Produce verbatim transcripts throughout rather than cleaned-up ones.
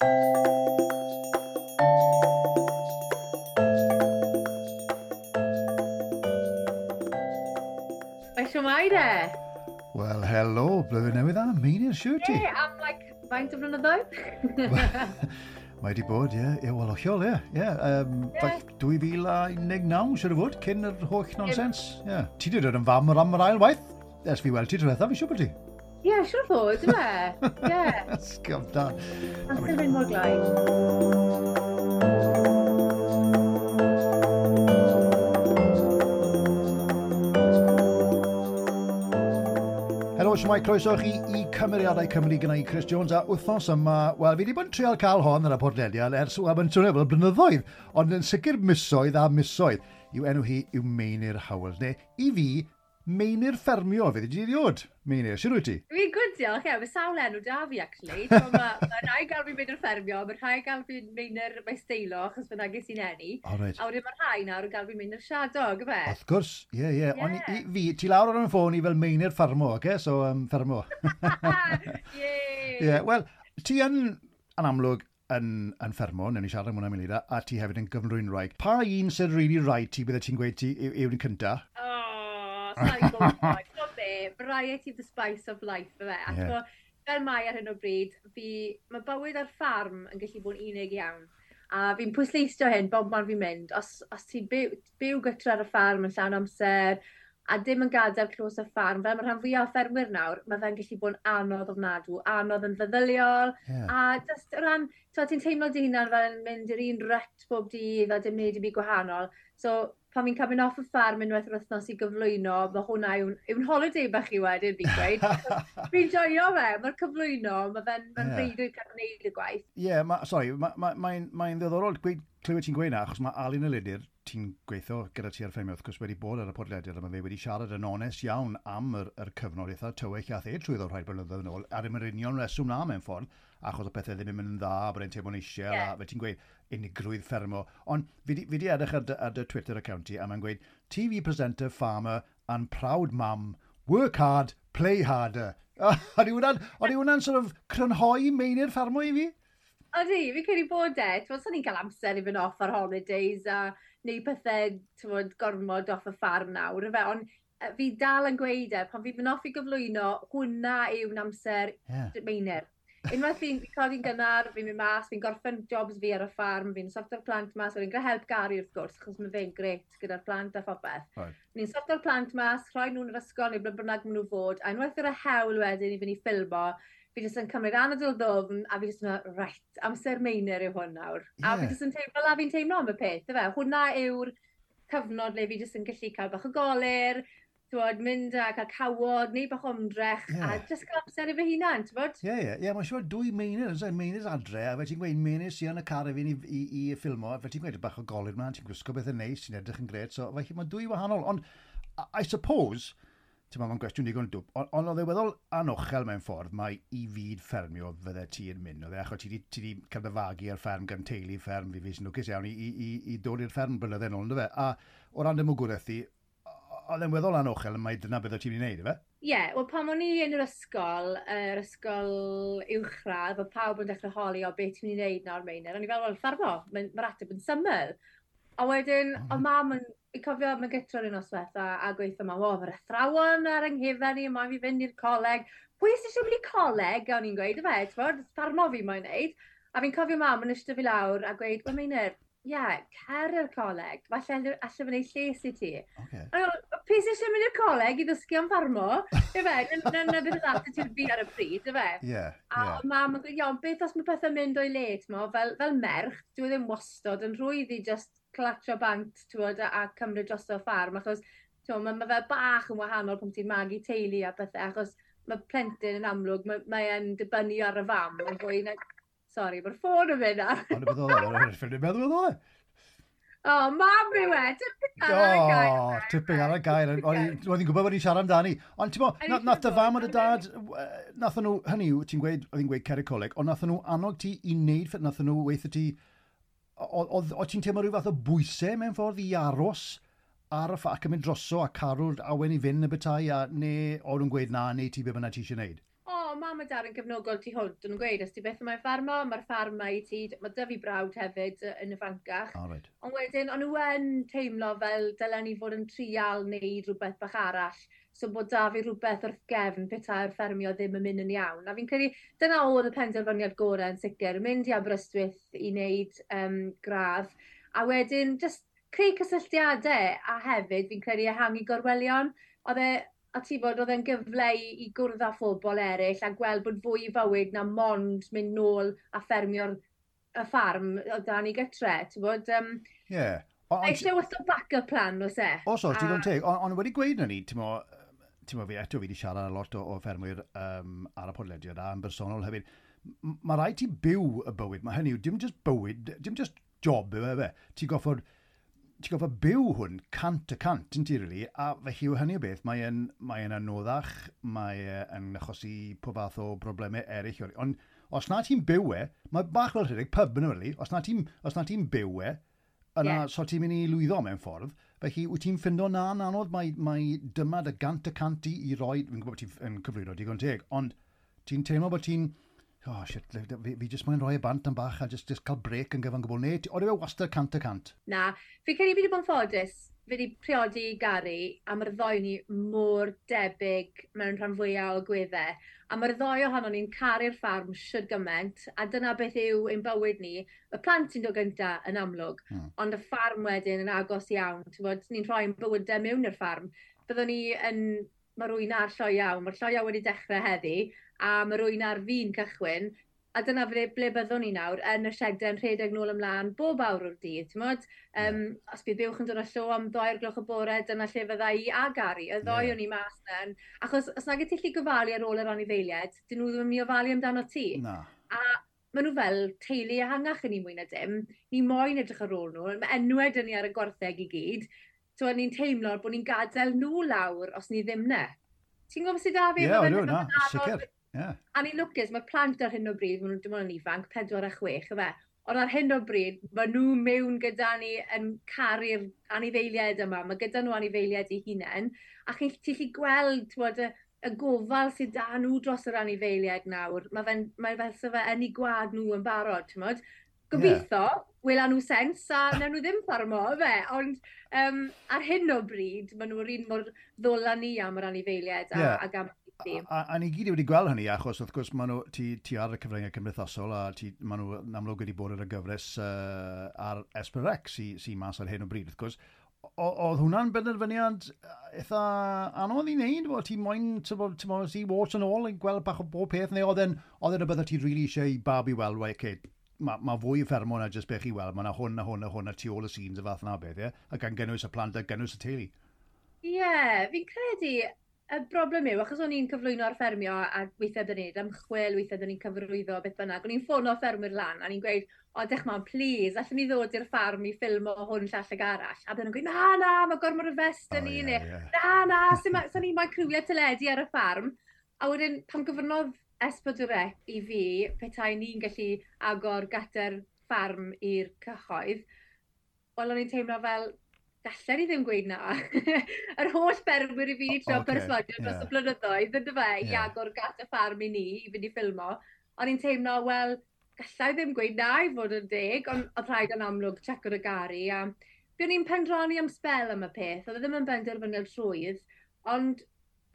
Mae siwmai de? Wel, helo, blwyddyn newydd dda, Meinir, siwr ti? Ie, am like, faint o flynyddoedd? Mae di bod, ie, yeah, wel, hollol, ie. Yeah, um, yeah. dwy fil a un deg naw, siwr o fod, cyn yr holl nonsens. Yeah. Ti di dod yn fam o'r am yr ail waith? Ers fi weld ti diwetha, fi siwr bod ti? Ie, yeah, siwr fod, yw e? Ie. Sgaf da. Amser mynd mor gloi. Helo, siwmai, croeso chi i Cymeriadau Cymru gyda i Chris Jones, a wythnos yma, wel, fi wedi bod yn trial cael hon ar y podlediad ers, wel, mae'n swnio fel blynyddoedd, ond yn sicr misoedd a misoedd, yw enw hi yw Meinir Howells, neu i fi, Meinir Ffermio, fydd i di Meinir, sut wyt ti? Fi'n good, diolch, ie, mae sawl enw da fi, actually. Mae ma, ma rhai gael fi Meinir Ffermio, mae rhai gael fi Meinir Maesteilo, achos fyna ges i'n eni. Oh, right. A wedyn mae rhai nawr yn gael fi Meinir Siadog, ife? Wrth gwrs, ie, ie. Yeah. Ond i, fi, ti lawr ar y ffôn i fel Meinir Ffarmo, oce? Okay? So, um, Ffermo. Ie! Yeah, wel, ti yn, yn amlwg, yn, yn ffermo, newn ni siarad am hwnna munud, a ti hefyd yn gyflwynwraig. Pa un sy'n really rhaid ti, bydde ti'n gweud ti yw'r un cynta? Oh. Sorry, be, variety of the spice of life, fe. A yeah. Fel mae ar hyn o bryd, fi, mae bywyd ar ffarm yn gallu bod yn unig iawn. A fi'n pwysleisio hyn bob man fi'n mynd. Os, os ti'n byw, byw gytre ar y ffarm yn llawn amser, a dim yn gadael clos y ffarm, fel mae rhan fwyaf o ffermwyr nawr, mae fe'n gallu bod yn anodd ofnadw, anodd yn feddyliol, yeah. A just o ran, ti'n teimlo dy hunan fel yn mynd i'r un rut bob dydd a dim wneud i byd gwahanol. So, pan fi'n cael mynd off y ffarm unwaith yr wythnos i gyflwyno, mae hwnna yw'n yw holiday bach i wedyn, fi'n gweud. Fi'n joio fe, mae'r cyflwyno, mae fe'n ma yeah. breuddwyd cael gwneud y gwaith. Ie, yeah, ma, sorry, mae'n ma, ma, ma ddiddorol gweud, clywed ti'n gweud na, achos mae Alun Elidyr, ti'n gweithio gyda ti ar ffermio, wrth gwrs wedi bod ar y podlediad, a mae fe wedi siarad yn onest iawn am yr, yr cyfnod eitha tywyll a the trwyddo rhai blynyddoedd yn ôl, ar yr union reswm na mewn ffordd, achos o pethau ddim yn mynd yn dda, bod e'n teimlo'n eisiau, yeah. A fe ti'n gweud unigrwydd ffermo. Ond fi di, fi di edrych ar dy, ar dy Twitter account ti, a mae'n gweud, T V presenter, farmer and proud mum, work hard, play harder. O'n i hwnna'n sort of crynhoi Meinir Ffermo i fi? Odi, fi'n credu bod e. T'mod, sa'n ni'n cael amser i fynd off ar holidays a neu pethau, t'mod, gormod off y ffarm nawr, ife? Ond fi dal yn gweud e, pan fi'n mynd off i gyflwyno, hwnna yw'n amser yeah. Meinir. Unwaith fi'n codi'n gynnar, fi'n mynd mas, fi'n gorffen jobs fi ar y ffarm, fi'n sorto'r plant mas, fi'n gyda help Gary wrth gwrs, achos mae fe'n grêt gyda'r plant a phopeth. Right. Ni'n sorto'r plant mas, rhoi nhw'n yr ysgol neu ble bynnag maen nhw fod, a unwaith yr hewl wedyn i fynd i ffilmo, fi jyst yn cymryd anadl ddwfn, a fi jyst yn meddwl, right, amser Meinir yw hwn nawr. Yeah. A fi jyst yn teimlo, fel a fi'n teimlo am y peth, ife? Hwnna yw'r cyfnod le fi jyst yn gallu cael bach o golur, t'wod, mynd a cael cawod, neu bach o ymdrech, yeah. A jyst cael amser i fy hunan, t'wod? Ie, ie, ie, mae'n siŵr dwy Meinir, yn Meinir adre, a fe ti'n gweud Meinir sy'n yn y car i fi'n i, i, i ffilmo, fe ti'n gweud bach o golur mlaen, ti'n gwisgo beth yn neis, ti'n edrych yn grêt, so felly mae dwy wahanol, ond I suppose, ti'n meddwl, mae'n gwestiwn digon dwp, ond on oedd e weddol anochel mewn ffordd, mae i fyd ffermio fydde ti yn mynd, oedd e, achos ti di, ti di cael dy fagu ar fferm gan teulu fferm, fi fi sy'n lwcus iawn i, i, i, i dod i'r fferm blynydde nôl, ynddo fe, a o ran dy mwgwraeth ti, oedd e'n weddol anochel, mae dyna beth o ti'n mynd i wneud, ife? Ie, yeah, wel pan o'n i yn yr ysgol, yr ysgol uwchradd, oedd pawb yn dechrau holi o beth ti'n mynd i wneud nawr, Meinir. O'n i fel, wel, ffarmo, mae'r ateb yn syml. A wedyn, oh. Oedd mam yn, fi'n cofio mae'n gytro'r un noswaith a, a gweithio mam, o, mae'r athrawon ar yng nghefen i, mae'n fi fynd i'r coleg. Pwy sy'n eisiau mynd i coleg? O'n i'n gweud, ife, t'mod, ffarmo fi mae'n wneud. A fi'n cofio mam yn eistedd fi lawr a gweud, wel, Meinir, ie, yeah, cer i'r coleg, falle allai fy wneud lles i ti. Okay. A pwy sy'n eisiau mynd i'r coleg i ddysgu am ffarmo? Ife, na na beth oedd attitude fi ar y pryd, ife? Yeah, a yeah. Mam yn gweud, iawn, beth os mae pethau'n mynd o'i le, t'mo, fel, fel merch, dwi ddim wastod yn rhwydd i just clatio bant, t'mod, a, a cymryd drosto ffarm, achos t'mo, mae ma fe bach yn wahanol pan ti'n magu teulu a pethau, achos mae plentyn yn amlwg, mae, mae e'n dibynnu ar y fam, yn fwy na... Sorry, mae'r ffôn yn mynd ar. Ond y beth oedd e, o'n i'n meddwl oedd e. O, mam yw e, tipyn ar y gair. O, tipyn ar y gair. O'n i'n gwybod bod ni'n siarad amdani. Ond ti'n bo, nath dy fam a dy dad, nath nhw, hynny yw, ti'n gweud, oedd hi'n gweud cer y coleg, ond nath nhw annog ti i wneud, nath nhw weithio ti, o ti'n teimlo rhyw fath o bwysau mewn ffordd i aros ar y ffa ac yn mynd droso a carw'r awen i fynd y bethau, a neu oedd nhw'n gweud na, neu ti be bynnag ti eisiau wneud? O, mam mam a dad yn gefnogol tu hwnt, o'n nhw'n gweud, os ti beth yma'n ffarmo, mae'r ffarm ma i ti, mae dyfu brawd hefyd yn y fancach. Oh, right. Ond wedyn, o'n nhw yn teimlo fel dylen ni fod yn trial wneud rhywbeth bach arall, so bod da fi rhywbeth wrth gefn petai'r ffermio ddim yn mynd yn iawn. A fi'n credu, dyna oedd y penderfyniad gorau yn sicr, mynd i Aberystwyth i wneud um, gradd, a wedyn just creu cysylltiadau, a hefyd fi'n credu ehangu gorwelion. Oedd e, a ti bod, oedd e'n gyfle i, i gwrdd â phobl eraill a gweld bod fwy i fywyd na mond mynd nôl a ffermio'r y ffarm o dan i gytre. Ti'n bod, um, yeah. Eisiau wastad backup plan, oes e? Os oes, digon teg. Ond on wedi gweud na ni, ti'n mo, ti'n mo fi eto fi wedi siarad â lot o, o ffermwyr um, ar y podlediad a yn bersonol hefyd. Mae rhaid ti byw y bywyd. Mae hynny yw, dim just bywyd, dim just job yw e fe. Ti'n goffod ti'n goffa byw hwn cant y cant, yn ti, really, a felly yw hynny o beth, mae'n mae anoddach, mae'n achosi pob fath o broblemau eraill. Ond os na ti'n byw e, mae bach fel rhedeg pub yn really, os na ti'n ti byw e, yna yeah. so ti'n mynd i lwyddo mewn ffordd. Felly wyt ti'n ffindo na'n anodd, mae, mae dyma dy gant y cant i, i roi, fi'n gwybod bod ti'n cyflwyno digon teg, ond ti'n teimlo bod ti'n, oh shit, fi, fi jyst moyn rhoi e bant am bach a just, just cael break yn gyfan gwbl. Neu, oedd e wastad cant y cant? Na, fi credu fi wedi bod yn ffodus. Fi wedi priodi Gary, a mae'r ddoi ni mor debyg mewn rhan fwyaf o gweddau. A mae'r ddoi ohono ni'n caru'r ffarm shwd gymaint, a dyna beth yw ein bywyd ni. Y plant sy'n dod gyntaf yn amlwg, hmm. ond y ffarm wedyn yn agos iawn. Ti'n bod, ni'n rhoi'n bywydau mewn i'r ffarm. Byddwn ni yn... Mae rwy'n ar lloiau, mae'r lloiau wedi dechrau heddi, a mae rwy'n ar fi'n cychwyn, a dyna ble, ble byddwn ni nawr, yn y siedau yn rhedeg nôl ymlaen bob awr o'r dydd, ti'n modd? Um, yeah. Os bydd buwch yn dod â llo am ddau o'r gloch y bore, dyna lle fydda i a Gary, y ddoi yeah. o'n i mas na. Achos os nag y ti gofalu ar ôl yr anifeiliaid, dyn nhw ddim yn mynd i ofalu amdano ti. Na. A maen nhw fel teulu ehangach yn ni mwy na dim, ni moyn edrych ar ôl nhw, mae enwau dyn ni ar y gwartheg i gyd, so ni'n teimlo bod ni'n gadael nhw lawr os ni ddim ne. Ti'n gwybod sydd da fi? Ie, yeah, ydw, na, sicr. Yeah. A ni'n lwcus, mae plant ar hyn o bryd, maen nhw'n dim ond yn ifanc, pedwar a chwech, yfe. Ond ar hyn o bryd, maen nhw mewn gyda ni yn caru'r anifeiliaid yma. Mae gyda nhw anifeiliaid eu hunain. A chi'n ti gallu gweld, t'wod, y, y gofal sydd da nhw dros yr anifeiliaid nawr. Mae fe'n, mae fel sa fe yn eu gwad nhw yn barod, t'mod. Gobeithio, yeah. wela nhw sens a wnawn nhw ddim ffarmo, fe. Ond um, ar hyn o bryd, maen nhw'r un mor ddwl â ni am yr anifeiliaid a, yeah. ag am A, a, a ni gyd wedi gweld hynny, achos wrth gwrs maen nhw, ti, ti ar y cyfryngau cymdeithasol a ti, maen nhw yn amlwg wedi bod ar y gyfres uh, ar S pedwar C sy'n sy mas ar hyn o bryd, wrth gwrs. Oedd hwnna'n benderfyniad eitha anodd i wneud? Wel, ti moyn, ti'n moyn, ti warts yn ôl yn gweld bach o bob peth, neu oedd e'n rhywbeth o ti really eisiau i bawb i weld, well, okay, mae ma fwy o ffermo na jyst beth chi weld, mae yna hwn a hwn a hwn a tu ôl y scenes y fath na beth, ie? A gan gynnwys y plant a gynnwys y teulu. Ie, yeah, fi'n credu y broblem yw, achos o'n i'n cyflwyno ar ffermio a weithiau dyn ni'n ymchwil, weithiau dyn ni'n cyfrwyddo, beth bynnag, o'n i'n ffono ffermwyr lan a ni'n gweud, o, dech man, please, allwn ni ddod i'r ffarm i ffilmo hwn llall ag arall. A bydden nhw'n gweud, na, na, mae gormod o fest yn oh, ni, yeah, neu, yeah. na, na, sa'n ni moyn criwiau teledu ar y ffarm. A wedyn, pan gyfrnodd S pedwar C i fi, petai ni'n gallu agor gadair ffarm i'r cyhoedd, wel, o'n i'n teimlo fel, gallen ni ddim gweud na. Yr holl ffermwyr i fi wedi trio okay, perswadio dros yeah. y blynyddoedd, ynddo fe, yeah. i agor gadair ffarm i ni, i fynd i ffilmo. O'n i'n teimlo, wel, gallai ddim gweud na i fod yn deg, ond oedd rhaid yn amlwg checo y Gary. A fi o'n i'n pendroni am sbel am y peth, oedd e ddim yn benderfyniad rhwydd, ond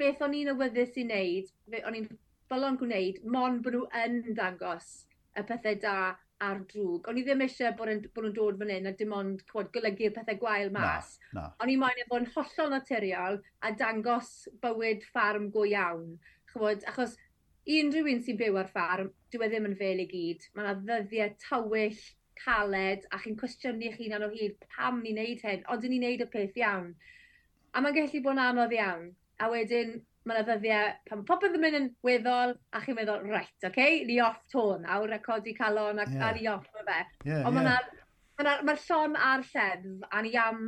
beth o'n i'n awyddus i wneud, o'n i'n bolon gwneud, mond bod nhw yn dangos y pethau da a'r drwg. O'n i ddim eisiau bod, yn, bod nhw'n dod fan hyn a dim ond chwod, golygu'r pethau gwael mas. Na, na. O'n i moyn e fod yn hollol naturiol a dangos bywyd ffarm go iawn. Chwod, achos i unrhyw un sy'n byw ar ffarm, dyw e ddim yn fel i gyd. Mae yna ddyddiau tywyll, caled, a chi'n cwestiynu eich hunan o hyd pam ni'n neud hyn, ond ni'n neud y peth iawn. A mae'n gallu bod yn anodd iawn. A wedyn, mae yna ddyddiau pan popeth yn mynd yn weddol, a chi'n meddwl, right, oce, okay, ni off to nawr, a codi calon, a, yeah. a ni off ma fe. Yeah, Ond yeah. mae'r ma ma llon a'r lleddf, a ni am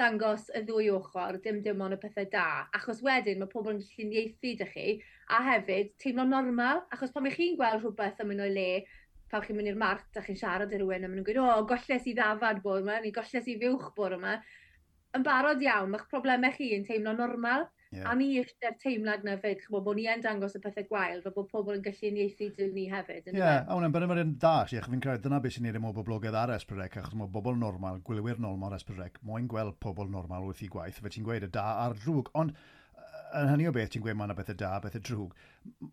dangos y ddwy ochr, dim dim ond y pethau da. Achos wedyn mae pobl yn lluniaethu dych chi, a hefyd teimlo'n normal, achos pan ych chi'n gweld rhywbeth yn mynd o'i le, pan chi'n mynd i'r mart a chi'n siarad i rhywun, a maen nhw'n gweud, o, golles i ddafad bore yma, neu golles i fuwch bore yma. Yn barod iawn, mae'ch problemau chi yn teimlo normal. Yeah. A ni eisiau'r teimlad na fyd, chymod, bod ni yn dangos y pethau gwael, fel bod pobl yn gallu uniaethu 'da ni hefyd. Ie, yeah, a hwnna'n bydde fe'n da, achos fi'n credu dyna beth sy'n neud e mor boblogaidd ar S pedwar C, achos mae bobl normal, gwylwyr normal ar S pedwar C, moyn gweld pobl normal wrth i gwaith, fe ti'n gweud y da a'r drwg, ond yn hynny o beth ti'n gweud mae yna bethau da, bethau drwg.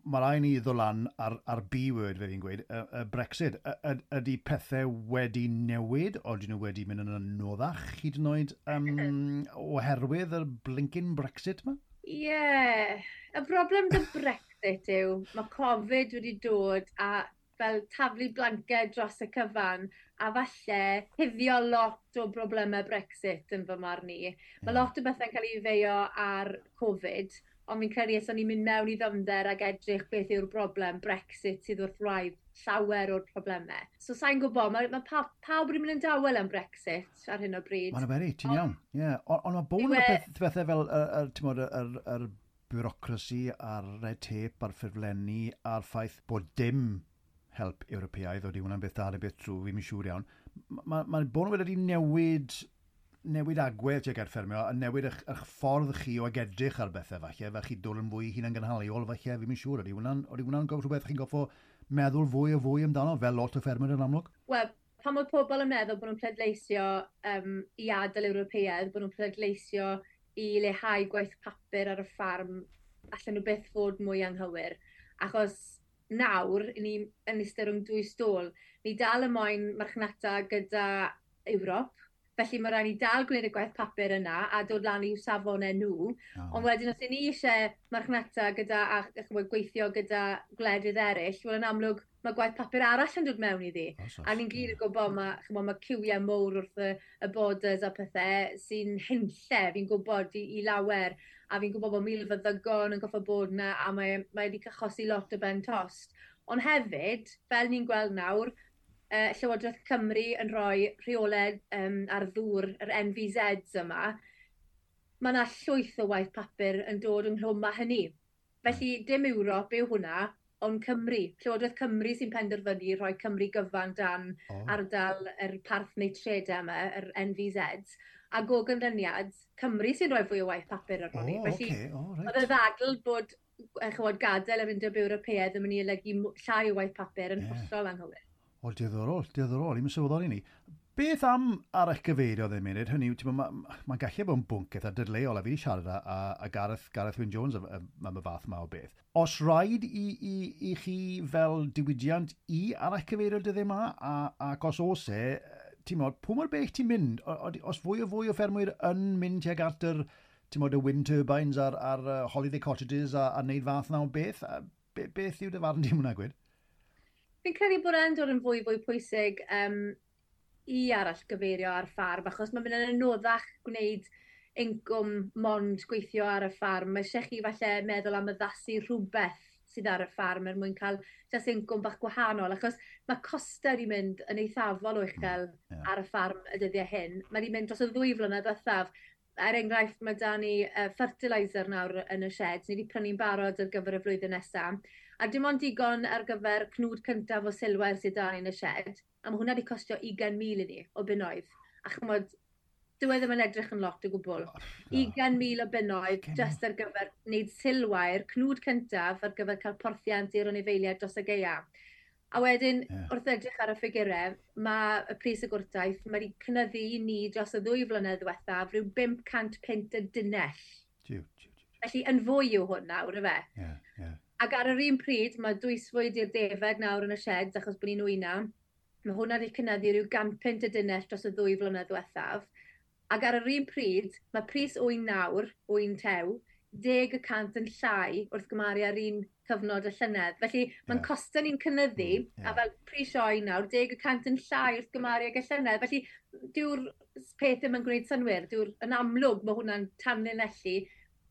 Mae rhaid ni ddod lan ar, ar B-word fe fi'n gweud, y, y Brexit. Y, ydy pethau wedi newid, o ydyn nhw wedi mynd yn anoddach hyd yn oed um, oherwydd y blinking Brexit yma? Ie, yeah. Y broblem 'da Brexit yw, mae Covid wedi dod a fel taflu blanced dros y cyfan a falle cuddio lot o broblemau Brexit yn fy marn i. Mae yeah. lot o bethau'n cael ei feio ar Covid, ond fi'n credu os o'n i'n mynd mewn i ddyfnder ac edrych beth yw'r broblem, Brexit sydd wrth wraidd llawer o'r problemau. So sa'n gwybod, mae, mae pa, pawb wedi mynd yn dawel am Brexit ar hyn o bryd. Mae'n beri, ti'n iawn. Yeah. Ond on mae bod yn peth, pethau fel y, y, y, y, yr bureaucracy a'r red tape a'r ffurflenni a'r ffaith bod dim help Ewropeaidd, oeddi hwnna'n beth da neu beth drwg, fi'n siŵr iawn. Mae ma, bod nhw wedi newid, newid agwedd tuag at ffermio, a newid eich, eich ffordd chi o edrych ar bethau falle, fel chi dod yn fwy hunangynhaliol falle, fi'n siŵr, ydy hwnna'n hwnna rhywbeth chi'n goffo meddwl fwy o fwy amdano, fel lot o ffermwyr yn amlwg? Wel, pan mae pobl yn meddwl bod nhw'n pleidleisio um, i adael Ewropeaidd, bod nhw'n pleidleisio i leihau gwaith papur ar y ffarm, allan nhw byth fod mwy anghywir. Achos nawr, ni yn eistedd rhwng dwy stôl, ni dal y moyn marchnata gyda Ewrop, felly mae rhaid ni dal gwneud y gwaith papur yna a dod lan i'w safonau nhw. Oh. Ond wedyn os ni eisiau marchnata gyda a chymod, gweithio gyda gwledydd eraill, wel yn amlwg mae gwaith papur arall yn dod mewn iddi. Oh, a ni'n gyd yn gwybod mae, chymod, mae ciwiau mowr wrth y, y borders a pethau sy'n hunlle, fi'n gwybod, i, i lawer. A fi'n gwybod bod milfeddygon yn goffo bod yna a mae, mae wedi achosi lot o ben tost. Ond hefyd, fel ni'n gweld nawr, uh, Llywodraeth Cymru yn rhoi rheolau um, ar ddŵr, yr N V Zs yma, mae yna llwyth o waith papur yn dod ynghlwm â hynny. Felly, dim Ewrop yw hwnna, ond Cymru. Llywodraeth Cymru sy'n penderfynu rhoi Cymru gyfan dan oh. ardal yr parth neitredau yma, yr N V Zs. A o ganlyniad, Cymru sy'n rhoi fwy o waith papur ar honni. Oh, Felly, okay. oh, right. oedd y ddadl bod chymod, gadael yr Undeb Ewropeaidd yn mynd i olygu llai o waith papur yn yeah. hollol anghywir. O, diddorol, diddorol, i'm yn sylweddoli ni. Beth am arallgyfeirio ddim munud? Hynny yw, mae'n ma, ma gallu bod yn bwnc eitha dadleuol, a fi wedi siarad â, a, a Gareth, Gareth Wyn Jones am, am y fath ma o beth. Os rhaid i, i, i chi fel diwydiant i arallgyfeirio dyddiau yma, a, ac os oes e, ti'n modd, pwy mor bell ti'n mynd? O, os fwy o fwy o ffermwyr yn mynd tuag at yr, ti'n modd, y wind turbines a'r, ar holiday cottages a, a neud fath na o beth, a be, beth yw dy farn di hwnna, gwed? Fi'n credu bod e'n dod yn fwy fwy pwysig um, i arallgyfeirio ar ffarm, achos mae'n mynd yn anoddach gwneud incwm mond gweithio ar y ffarm. Mae eisiau chi falle meddwl am addasu rhywbeth sydd ar y ffarm er mwyn cael jyst incwm bach gwahanol, achos mae costau wedi mynd yn eithafol o uchel yeah. ar y ffarm y dyddiau hyn. Mae wedi mynd dros y ddwy flynedd ddiwethaf. Er enghraifft, mae da ni uh, fertilizer nawr yn y shed. Ni wedi prynu'n barod ar gyfer y flwyddyn nesaf. A dim ond digon ar gyfer cnwd cyntaf o silwair sydd da ni yn y shed. A mae hwnna wedi costio ugain mil i ni o bunnoedd. A chymod, dyw e ddim yn edrych yn lot o gwbl. ugain mil o bunnoedd just ar gyfer wneud silwair, cnwd cyntaf ar gyfer cael porthiant i'r anifeiliaid dros y gaea. A wedyn, yeah. wrth edrych ar y ffigurau, mae y pris y gwrtaith, mae wedi cynyddu i ni dros y ddwy flynedd ddiwethaf rhyw bump cant punt y dunnell. Jiw, jiw, jiw. Felly, yn fwy yw hwn nawr, yfe? Yeah, yeah. Ac ar yr un pryd, mae dwysfwyd i'r defaid nawr yn y sheds, achos bod ni'n wyna. Mae hwnna wedi cynyddu rhyw gan punt y dunnell dros y ddwy flynedd ddiwethaf. Ac ar yr un pryd, mae pris ŵyn nawr, ŵyn tew, deg y cant yn llai wrth gymharu ar un cyfnod y llynedd. Felly mae'n yeah. costau ni'n cynyddu, mm, yeah. a fel pris oen nawr, deg y cant yn llai wrth gymharu ag y llynedd. Felly dyw'r peth ddim yn gwneud synnwyr, dyw'r yn amlwg mae hwnna'n tanlinellu,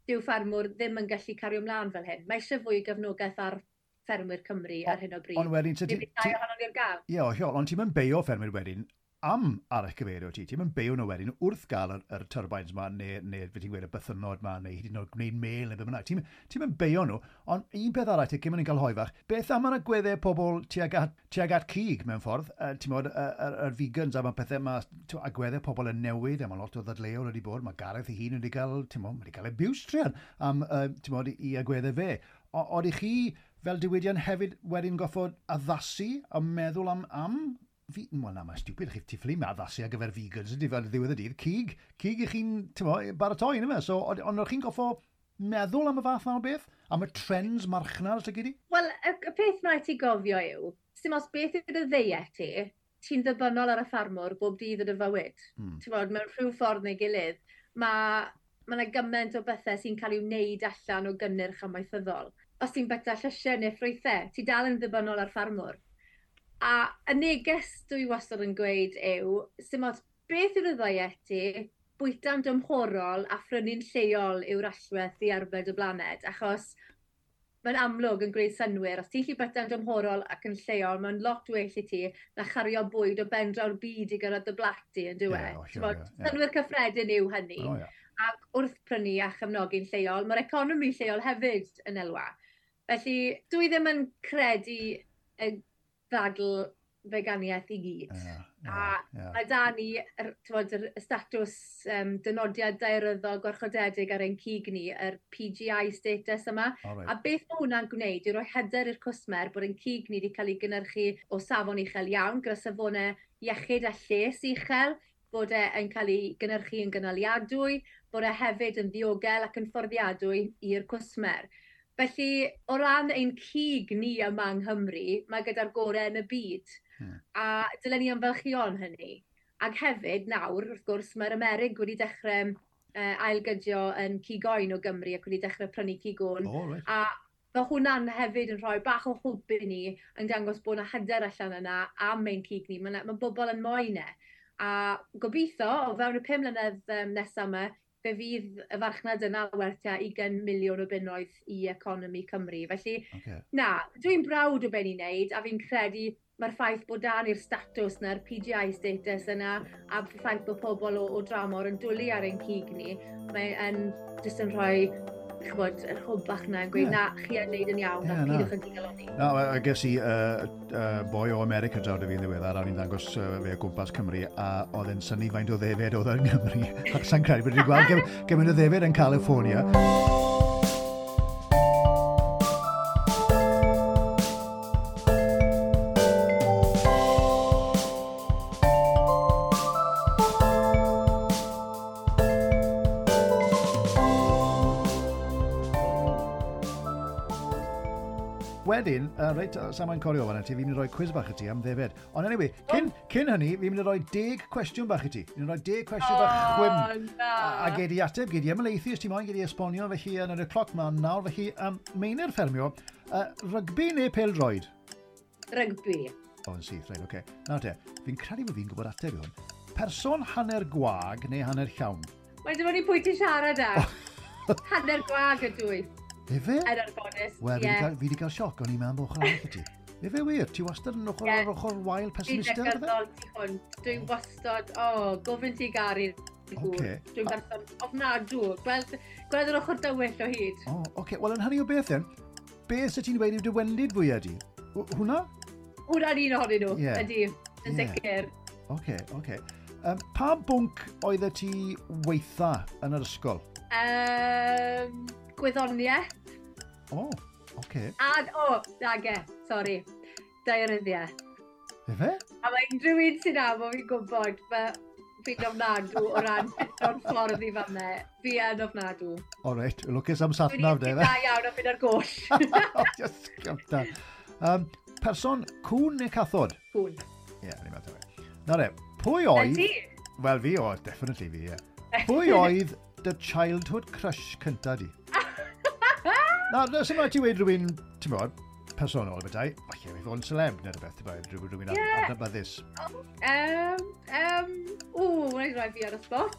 dyw ffermwr ddim yn gallu cario ymlaen fel hyn. Mae eisiau fwy o gefnogaeth ar ffermwyr Cymru ar hyn o bryd. Ond wedyn... Ti, ti, ohonon ni'r gael. Ie, yeah, ond ti'n mynd beio ffermwyr wedyn am arallgyfeirio ti. Ti'n mynd beio nhw wedyn wrth gael yr, yr turbines ma, neu, neu fe ti'n gweud y bythynnod ma, neu hyd yn oed gwneud mêl neu be bynnag. Ti'n ti mynd beio nhw, ond un peth arall, ti'n mynd i'n cael hoe fach, beth am yr agweddau pobl tuag at, tuag at cig mewn ffordd, uh, ti'n modd, yr, yr, yr vegans a mae pethau, mae agweddau pobl yn newid, a mae lot o ddadleuon wedi bod, mae Gareth ei hun wedi cael, ti'n modd, wedi cael abuse truan am, uh, ti'n modd, i agweddau fe. Oeddech chi fel diwydiant hefyd wedyn goffod addasu a meddwl am, am fi, wel na, mae'n stupid, chi ti ffili addasu ar gyfer vegans, ydy fel ddiwedd y dydd, cig, cig i chi'n, ti'n mo, baratoi, yna fe? So, ond o'ch chi'n goffo meddwl am y fath na o beth? Am y trends marchnad, os ydy? Wel, y, y peth mae ti gofio yw, sy'n os beth yw'r ddiet ti, ti'n ddibynnol ar y ffarmwr bob dydd o dy fywyd. Mm. Ti'n bod, mewn rhyw ffordd neu gilydd, mae ma yna gymaint o bethau sy'n cael ei wneud allan o gynnyrch amaethyddol. Os ti'n byta llysiau neu ffrwythau, ti dal yn ddibynnol ar ffarmwr. A y neges dwi wastad yn gweud yw, sy'n ots beth yw'r ddiet ti, bwyta'n dymhorol a phrynu'n lleol yw'r allwedd i arbed y blaned, achos mae'n amlwg yn gwneud synnwyr. Os ti'n gallu byta'n dymhorol ac yn lleol, mae'n lot well i ti na chario bwyd o ben draw'r byd i gyrraedd dy blat di, yn dyw e? Yeah, oh, sure, yeah, yeah. Synnwyr cyffredin yw hynny. Oh, yeah. Ac wrth prynu a chefnogi'n lleol, mae'r economi lleol hefyd yn elwa. Felly, dwi ddim yn credu y ddadl feganiaeth i gyd. Yeah, yeah, a yeah. mae da ni yr, t'mod, yr, y statws um, dynodiad daearyddol gwarchodedig ar ein cig ni, yr P G I status yma. Oh, right. A beth mae hwnna'n gwneud yw rhoi hyder i'r cwsmer bod ein cig ni wedi cael ei gynhyrchu o safon uchel iawn, gyda safonau iechyd a lles uchel, bod e yn cael ei gynhyrchu yn gynaliadwy, bod e hefyd yn ddiogel ac yn fforddiadwy i'r cwsmer. Felly, o ran ein cig ni yma yng Nghymru, mae gyda'r gorau yn y byd. Hmm. A dylen ni ymfalchïo yn hynny. Ac hefyd, nawr, wrth gwrs, mae'r Amerig wedi dechrau uh, ailgydio yn cig oen o Gymru ac wedi dechrau prynu cig oen. Oh, right. A mae hwnna'n hefyd yn rhoi bach o hwb i ni yn dangos bod yna hyder allan yna am ein cig ni. Mae, mae bobl yn moyn e. A gobeithio, o fewn y pum mlynedd um, nesaf yma, fe fydd y farchnad yna werth tua ugain miliwn o bunnoedd i economi Cymru. Felly, okay. na, dwi'n browd o be ni'n neud, a fi'n credu mae'r ffaith bod da ni'r statws na'r P G I status yna, a'r ffaith bod pobl o, o dramor yn dwlu ar ein cig ni, mae'n jyst yn rhoi, ch'bod, yr hwb bach na yn gweud, yeah. na, chi yn neud yn iawn, yeah, a pidwch yn digalonni. Na, a ges i uh, uh, boi o America draw dy fi yn ddiweddar, a o'n i'n dangos uh, fe o gwmpas Cymru, a oedd e'n synnu faint o ddefed oedd yn Nghymru. Ac sa'n credu bod wedi gweld gymaint o ddefed yn California. Wedyn, uh, reit, uh, Sam yn corio fan ti, fi'n mynd i roi quiz bach i ti am ddefed. Ond anyway, cyn, oh. cyn hynny, fi'n mynd i roi deg cwestiwn bach i ti. Fi'n mynd i roi deg cwestiwn oh, bach chwim. Na. A, a gei di ateb, gei di ymhelaethu os ti moyn, gei di esbonio, felly yn y cloc mlaen nawr. Felly, um, Meinir Ffermio, uh, rygbi neu pêl-droed? Rygbi. O, yn syth, reit, oce. Okay. Nawr te, fi'n credu bod fi'n gwybod ateb i hwn. Person hanner gwag neu hanner llawn? Mae'n dibynnu pwy ti'n siarad â. Hanner gwag ydw i. Efe? Yn anffodus, Wel, ie. fi wedi cael sioc, o'n i'n meddwl bod ochr arall i ti. Efe wir, ti wastad yn ochr, yeah. ar ochr wael pessimistaidd? Dwi'n negyddol ti hwnt. Dwi'n wastad, o, oh, gofyn ti garu gŵr. Okay. Dwi'n berson ofnadw. Gweld, gweld yr ochr dywyll o hyd. O, oh, oce. Okay. Wel, yn hynny o beth then, beth sydd ti'n dweud yw dy wendid fwyaf di? Hwna? Hwna'n un ohonyn nhw, yeah. ydy, yn yeah. sicr. Oce, oce. Um, pa bwnc oeddet ti weitha yn yr ysgol? Um, gwyddoniaeth. O, oh, oce. Okay. A, o, oh, nage, sori. Daearyddiaeth. Efe? A mae unrhyw un sy'n am o fi'n gwybod, mae fi'n ofnadw o ran fito'n ffordd i fan'na. Fi yn ofnadw. O reit, lwcus am satnav de, fe? Dwi'n da iawn o fynd ar goll. Just gyfta. Um, person cŵn neu cathod? Cŵn. Ie, yeah, ni'n meddwl. Na re, pwy oedd... Ydy? Wel, fi oedd, definitely fi, ie. Pwy oedd dy childhood crush cynta di? Na, na, sy'n rhaid ti weud rhywun, ti'n bod, personol bethau, falle fi fod yn celeb neu rhywbeth, ti'n bod, rhywun, rhywun yeah. adnabyddus. Um, um, o, wnaeth rhoi fi ar y spot.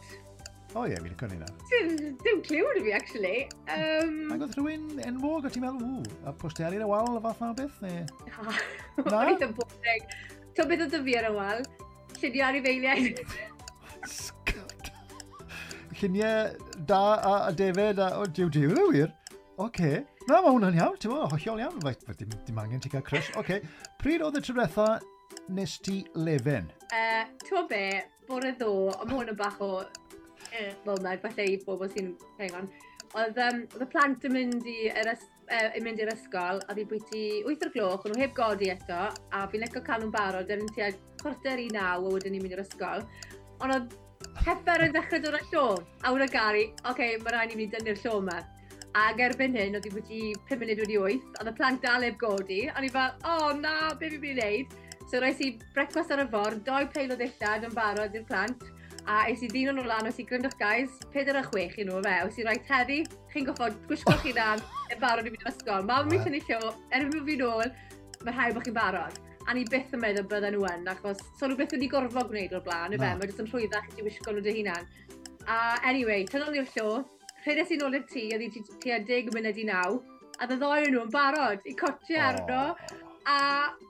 O ie, fi'n licio hynna. Dim, dim cliw 'da fi, actually. Um, Ac oedd rhywun enwog, o ti'n meddwl, ww, a posteri ar y wal, y fath na o beth, neu? Na? O'n eitha boring. Ti'n beth oedd 'da fi ar y wal? lluniau anifeiliaid. Lluniau da a, a defed a... O, diw, diw, dwi wir. Oce. Na, mae hwnna'n iawn, ti'n mo, hollol iawn. Fe, fe, dim, dim angen ti cael crush. Oce. Pryd oedd y tro diwetha nes ti lefen? Uh, ti'n be, bore ddo, ond mae hwn yn bach o uh, moment, falle i bobl sy'n hang on. Oedd, um, oedd y plant yn mynd i'r uh, yn mynd i'r ysgol, a fi bwyty wyth o'r gloch, o'n nhw heb godi eto, a fi'n licio cael nhw'n barod, yn tua chwarter i naw, a wedyn ni'n mynd i'r ysgol. Ond oedd heffer yn dechrau dod â llo, a wna Gary, oce, okay, mae rhaid i ni dynnu'r llo yma. Ac erbyn hyn, oedd hi bwyty pum munud wedi wyth, oedd y plant dal heb godi, a ni fel, o oh, na, be fi'n mynd i wneud? So roes i brecwast ar y ffordd, doi peil o ddillad yn barod i'r plant, a es i ddyn nhw lan, oes i gryndwch guys, pedair a chwech i nhw fe, oes i rhaid heddi, chi'n goffod gwisgo chi dan yn barod i fynd i'r ysgol. Mam yn tynnu llo, erbyn bod fi nôl, mae rhaid bod chi'n barod. A ni byth yn meddwl bydden nhw yn, achos so nhw byth wedi gorfod gwneud o'r blaen, yfe, mae jyst yn rhwyddach i ti wisgo nhw dy hunan. A anyway, tynnon ni'r llo, rhedes i nôl i'r tŷ, oedd hi tua deg munud i naw, a dde ddoi nhw yn barod i cotiau arno, a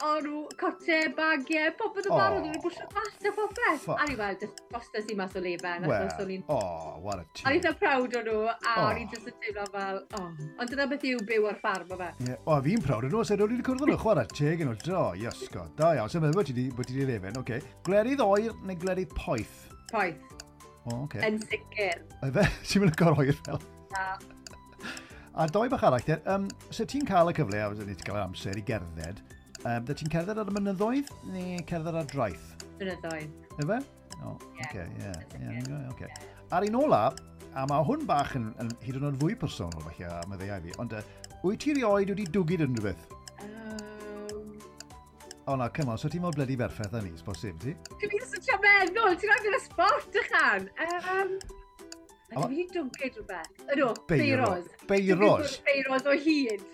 o'n nhw cotiau, bagiau, popeth yn barod, o'n nhw'n bwysio gwallt a popeth. A ni fel, just bostes i mas o lefen, achos o'n i'n... Oh, what a team. O'n i'n eitha proud o nhw, a o'n i'n just yn teimlo fel, oh. Ond dyna beth yw byw ar ffarm o fe. Yeah. O, fi'n proud o nhw, os ydw wedi cwrdd â nhw, chwarae teg yn nhw, do, iasgo, da iawn, sy'n meddwl bod ti wedi lefen, oce. Glerydd oer neu glerydd poeth? Poeth. O, oce. Yn sicr. Efe, ti'n mynd yn oer fel? Na. A doi bach arall, um, so ti'n cael y cyfle, a ni ti'n cael yr amser i gerdded, um, da ti'n cerdded ar y mynyddoedd neu cerdded ar draeth? Mynyddoedd. Efe? O, oce, ie. Oce. A'r un ola, a mae hwn bach yn, yn hyd yn oed fwy personol, falle, a meddai fi, ond uh, wyt ti rioed wedi dwgyd unrhyw beth? Um... O na, come on, so ti'n mor bloody berffaith â ni, bosib, ti? Dwi'n jyst yn trio meddwl, ti'n rhaid i'r sport, ychan. Um... A dwi wedi dwgyd rhywbeth. Ydw, beiros. Beiros? Beiros o hyd.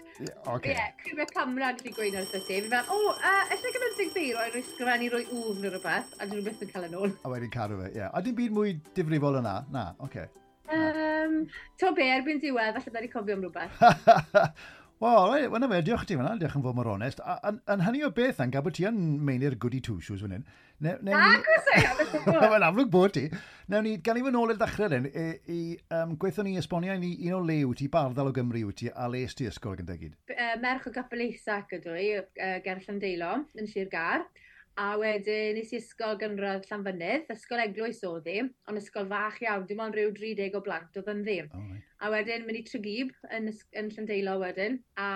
Oce. Ie, criw y camera yn gallu gweud wrth ti. Fi'n fel, o, uh, allai gymryd deg beiro i roi sgrifennu roi wf neu rhywbeth, a dyn nhw byth yn cael yn ôl. A wedyn cadw fe, ie. A dim byd mwy difrifol yna? Na, oce. Um, Ti'n be, erbyn diwedd, falle byddai cofio am rhywbeth. Wel, right, wel, na fe, diolch i ti fan'na, diolch yn fawr mor onest. A, yn, yn hynny o beth, yn gael bod ti yn meinir goody two shoes fan hyn. Ne, ne, Na, gwrs e, Mae'n amlwg bod ti. Newn ni, gan i fy nôl i'r ddechrau then, i, i um, gweithio ni esbonio i ni un o le wyt ti, bardal o Gymru wyt ti, a les ti ysgol gyda gyd? Uh, merch o Gapel Isac ydw i, uh, ger Llandeilo, yn Sir Gâr. A wedyn nes i ysgol gynradd Llanfynydd, ysgol eglwys oedd hi, ond ysgol fach iawn, dim ond rhyw dri deg o blant oedd ynddi. Oh, right. A wedyn mynd i Tregib yn, yn Llandeilo wedyn, a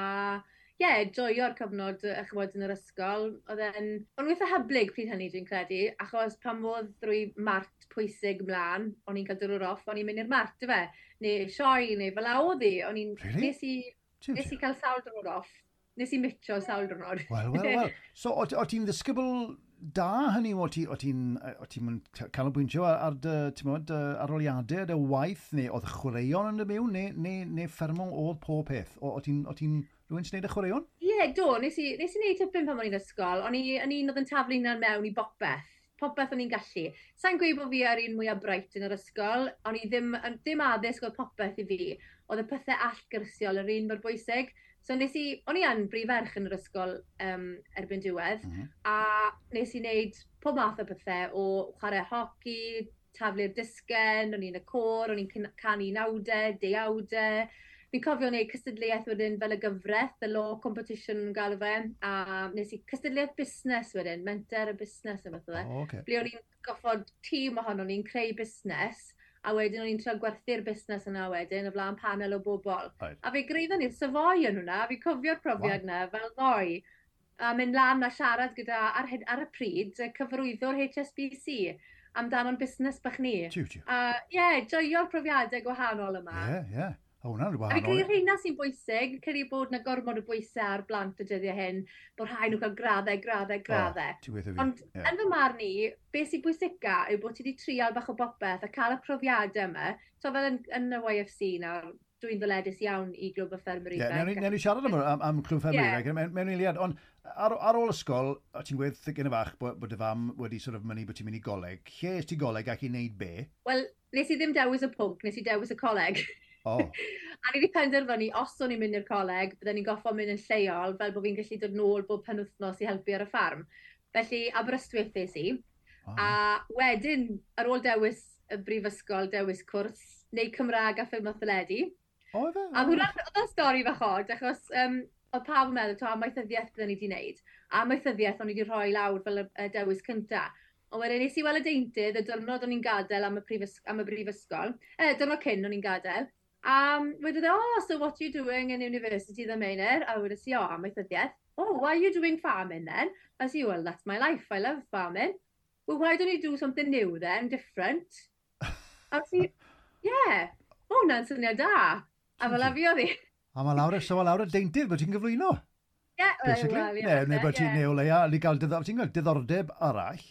ie, yeah, joio'r cyfnod chymod yn yr ysgol. Oedd e'n, o'n eitha hyblyg pryd hynny dwi'n credu, achos pan oedd drwy mart pwysig mlaen, o'n i'n cael dwrwr off, o'n i'n mynd i'r mart, ife, neu sioe, neu fel oedd hi, o'n i'n, really? nes i, nes i cael sawl dwrnod off. Nes i mitio sawl diwrnod. Wel, wel, wel. So, o, o ti'n ddisgybl da hynny? O ti'n ti, ti canolbwyntio ar, ar dy, ti'n modd, dy arholiadau, dy waith, neu oedd chwaraeon yn dy mewn, neu, neu, neu ffermo oedd pob peth? O, o ti'n rhywun sy'n neud y chwaraeon? Ie, yeah, do. Nes i, nes i neud tipyn pan o'n i'n ysgol. O'n i yn un oedd yn taflu hunan mewn i bopeth. Popeth o'n i'n gallu. Sa'n gweud bod fi ar un mwyaf bright yn yr ysgol, o'n i ddim, ddim addysg oedd popeth i fi. Oedd y pethau allgyrsiol yr un mor bwysig. So nes i, o'n i yn brif ferch yn yr ysgol um, erbyn diwedd, mm -hmm. a nes i wneud pob math o bethau o chwarae hoci, taflu'r disgen, o'n i'n y côr, o'n i'n canu nawdau, deuawdau. Fi'n cofio wneud cystadleuaeth wedyn fel y gyfraith, the law competition yn galw fe, a nes i cystadleuaeth busnes wedyn, menter y busnes yn fath o fe. Oh, okay. Ble o'n i'n goffod tîm ohono ni'n creu busnes, a wedyn o'n i'n trio gwerthu'r busnes yna wedyn o flaen panel o bobl. Right. A fe greiddon ni'r Savoy yn hwnna, fi'n cofio'r profiad yna wow. fel ddoe. A mynd lan a siarad gyda, ar, ar y pryd, y cyfarwyddwr H S B C amdano'n busnes bach ni. Tiw, tiw. A ie, yeah, joio'r profiadau gwahanol yma. Ie, yeah, ie. Yeah. O, hwnna'n wahanol. A fi credu rheina sy'n bwysig, credu bod na gormod o bwysau ar blant y dyddiau hyn, bod rhaid nhw cael graddau, graddau, graddau. O, ti'n gweithio fi. Ond yeah. yn fy marn i, beth sy'n bwysica yw bod ti wedi trial bach o bopeth a cael y profiadau yma. So fel yn, yn y Y F C nawr, dwi'n ddyledus iawn i Glwb y Ffermwyr Ifanc. Ie, yeah, newn ni siarad am, am, am Clwb Ffermwyr yeah. Ifanc mewn, mewn eiliad, ond ar, ar ôl ysgol, o ti'n gweud gyda fach bod, bod dy fam wedi sort of mynnu bod ti'n mynd i goleg. Lle est ti goleg ac i wneud be? Wel, nes i ddim dewis y pwnc, nes i dewis y coleg. Oh. A ni wedi penderfynu, os o'n i'n mynd i'r coleg, bydden ni'n goffo mynd yn lleol, fel bod fi'n gallu dod nôl bob penwythnos i helpu ar y ffarm. Felly, Aberystwyth es i. Wow. A wedyn, ar ôl dewis y brifysgol, dewis cwrs, neu Cymraeg a ffilm a theledu. O, fe? A hwnna, oedd o'n stori fach od, achos um, oedd pawb yn meddwl, to, amaethyddiaeth byddwn ni wedi wneud. A amaethyddiaeth o'n i wedi rhoi lawr fel y, y dewis cyntaf. Ond wedyn nes i weld y deintydd y diwrnod o'n i'n gadael am y, prifys am y brifysgol, eh, diwrnod cyn o'n i'n gadael, a um, wedodd e, "Oh, so what are you doing in university then, Meinir?" A wedes i, "Oh, amaethyddiaeth." "Oh, why are you doing farming then?" I said, "Well, that's my life, I love farming." "Well, why don't you do something new then, different?" A wedes i, "Yeah, o, hwnna'n syniad da." A fel 'na fuodd hi. A mae lawr, so mae lawr y deintydd bod ti'n gyflwyno. Ie, basically. Well, yeah, neu, neu bod ti'n, neu o leia, ni gael diddor, ti'n gael diddordeb arall.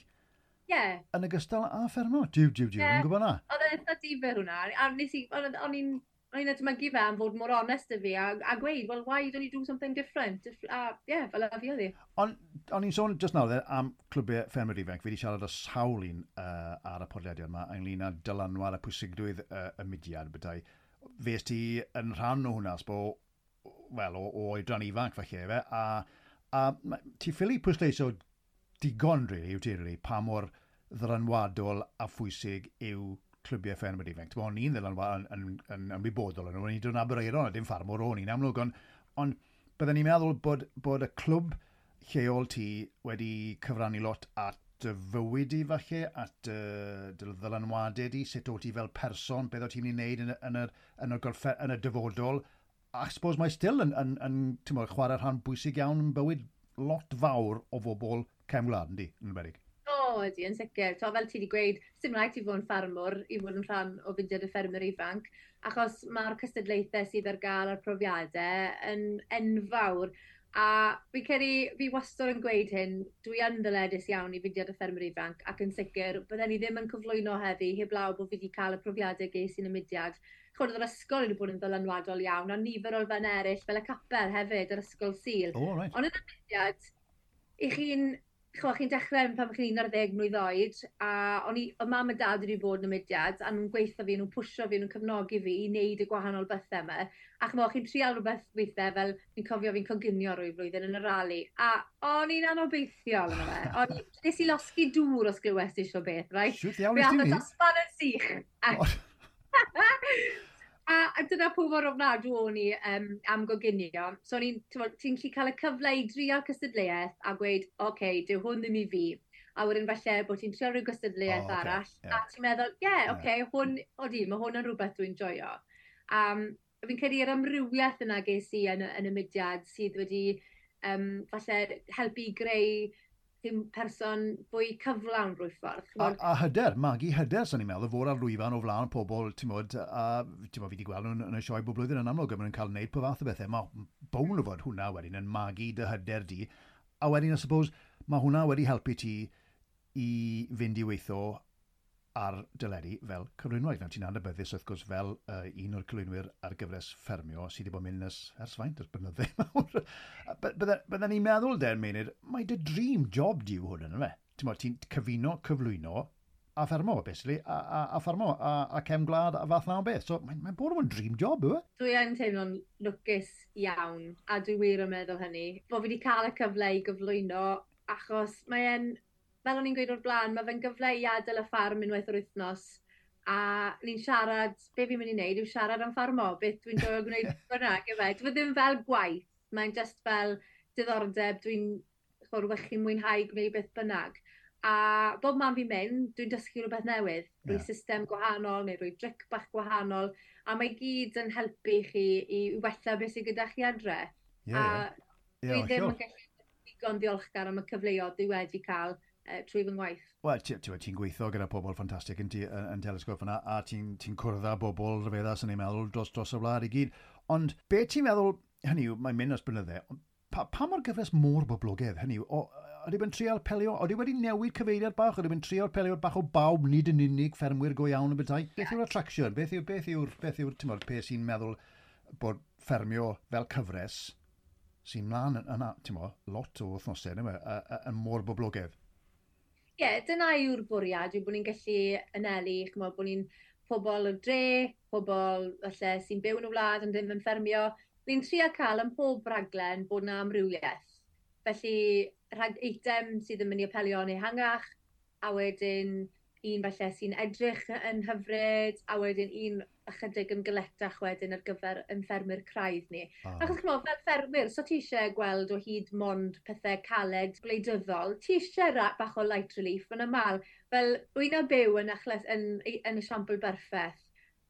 Ie. Yn ogystal â ffermo. Diw, diw, diw, yeah. Yn gwybod na. Oedd e'n eitha difyr hwnna. A nes i, o'n i'n o'n i'n edmygu fe am fod mor onest 'da fi a, a gweud, "Well, why don't you do something different?" A ie, yeah, fel 'na fuodd hi. Ond o'n i'n sôn just nawr am clwbiau ffermwyr ifanc. Fi wedi siarad â sawl un uh, ar y podlediad yma ynglyn â dylanwad a pwysigrwydd uh, y mudiad bethau. Fes ti yn rhan o hwnna, sbo, wel, o, o oedran ifanc falle, fe, a, a ti ffili pwysleisio digon, really, yw ti, really, pa mor ddylanwadol a phwysig yw clybiau ffermwyr ifanc. O'n i'n ddylanwad yn, yn, yn ymwybodol yn nhw, o'n i'n dod yn Aberaeron, a dim ffarmwr o'n i'n amlwg, ond, ond byddwn ni'n meddwl bod, bod y clwb lleol ti wedi cyfrannu lot at dy fywyd i falle, at dy, dy ddylanwadau di, sut o ti fel person, beth o ti'n mynd i wneud yn, yn, y, yn, y gorffe, yn y dyfodol. A I suppose mae still yn, yn, yn, yn mo, chwarae rhan bwysig iawn yn bywyd lot fawr o bobl cefn gwlad, yndi, yn enwedig. O, ydy, yn sicr. To, fel ti wedi gweud, sim rhaid ti fod yn ffarmwr i fod yn rhan o fudiad y ffermwyr ifanc, achos mae'r cystadlaethau sydd ar gael a'r profiadau yn enfawr. A fi credu, fi wastad yn gweud hyn, dwi yn ddyledus iawn i fudiad y ffermwyr ifanc, ac yn sicr, bydden ni ddim yn cyflwyno heddi heblaw bod fi wedi cael y profiadau ges i'n y mudiad. Chod, oedd yr ysgol wedi bod yn ddylanwadol iawn, a nifer o elfen eraill, fel y capel hefyd, yr ysgol Sul. Oh, right. Ond yn y mudiad, i chi'n chwa, chi'n dechrau pan chi'n un ar ddeg mlwydd oed, a o'n i, oedd mam a dad wedi bod yn y mudiad, a nhw'n gweithio fi, nhw'n pwsio fi, nhw'n cefnogi fi i wneud y gwahanol bethau yma. A chmo, chi'n trial rhywbeth weithiau, fel fi'n cofio fi'n coginio rhyw flwyddyn yn y rali, a o'n i'n anobeithiol yna fe. O'n i, nes i losgi dŵr os glywes ti eisiau beth, right? Siwt iawn nes ti ni? Dosban yn sych. A, a dyna pwy mor ofnadw o'n i um, am goginio. So o'n i'n, ti'n gallu cael y cyfle i drial cystadleuaeth a gweud, "Oce, okay, dyw hwn ddim i fi." A wedyn falle bod ti'n trial rhyw gystadleuaeth oh, okay. arall, yeah. a ti'n meddwl, "Ie, yeah, oce, okay, yeah. hwn, odi, mae hwn yn rhywbeth dwi'n joio." Um, fi'n credu yr amrywiaeth yna ges i yn, yn y mudiad sydd wedi um, falle helpu greu ddim person fwy cyflawn rwy ffordd. A, a hyder, magu hyder, sy'n ni'n meddwl, fod ar lwyfan o flaen pobl, ti'n modd, a ti'n modd, fi wedi gweld nhw'n yn y sioe bob blwyddyn yn amlwg, a maen nhw'n cael wneud po fath o bethau. Mae bown o fod hwnna wedyn yn magu dy hyder di. A wedyn, I suppose, mae hwnna wedi helpu ti i fynd i weithio ar deledu fel cyflwynwraig. Nawr, ti'n adnabyddus wrth gwrs fel uh, un o'r cyflwynwyr ar gyfres ffermio sydd wedi bod yn mynd ers, ers faint, ers blynydde mawr. Bydden ni'n meddwl, den, Meinir, mae dy dream job di yw hwn yn fe. Ti'n ti'n cyfuno, cyflwyno a ffermo, basically, a, a, a ffermo, a, a cefn gwlad a fath na o beth. So mae'n mae bod yn dream job, yw e? Dwi yn teimlo'n lwcus iawn, a dwi wir yn meddwl hynny. Bod fi wedi cael y cyfle i gyflwyno, achos mae'n fel o'n i'n gweud o'r blaen, mae fe'n gyfle i adael y ffarm unwaith yr wythnos a ni'n siarad, be fi'n mynd i wneud yw siarad am ffarmo, beth dwi'n joio gwneud bynnag, yfe. Dwi ddim fel gwaith, mae'n just fel diddordeb, dwi'n rhywbeth chi'n mwynhau gwneud beth bynnag. A bob man fi'n mynd, dwi'n dysgu rhywbeth newydd, rwy yeah. system gwahanol neu rwy dric bach gwahanol, a mae gyd yn helpu chi i wella beth sydd gyda chi adre. Yeah, a yeah. dwi yeah, ddim yn gallu digon ddiolchgar am y cyfleoedd dwi wedi cael uh, trwy fy ngwaith. Wel, ti'n ti, ti gweithio gyda pobl ffantastig yn, yn, yn Telesgop yna, a ti'n ti cwrdd â bobl rhyfeddas yn ei meddwl dros, dros y wlad i gyd. Ond be ti'n meddwl, hynny yw, mae'n mynd ers blynydde, pa, pa mor gyfres mor boblogaidd, hynny yw, o, ydy yn trial pelio, ydy wedi newid cyfeiriad bach, ydy yn trial pelio bach o bawb, nid yn unig ffermwyr go iawn y bethau? Beth yw'r attraction? Beth yw'r, beth yw'r, beth yw'r, ti'n modd, peth sy'n meddwl bod ffermio fel cyfres sy'n mlaen yna, ti'n modd, lot o wythnosau, yn mor boblogaidd? Ie, yeah, dyna yw'r bwriad, yw bod ni'n gallu anelu, chymod, bod ni'n pobl o dre, pobl falle sy'n byw yn y wlad ond ddim yn ffermio. Ni'n trio cael ym mhob raglen bod yna amrywiaeth. Felly, rhag eitem sydd yn mynd i apelio yn ehangach, a wedyn un falle sy'n edrych yn hyfryd, a wedyn un ychydig yn galetach wedyn ar gyfer yn ffermwyr craidd ni. Ah. Achos ch'mod, fel ffermwyr, so ti eisiau gweld o hyd mond pethau caled gwleidyddol, ti eisiau bach o light relief yn aml. Fel wyna byw yn, achles, yn, yn esiampl berffaith.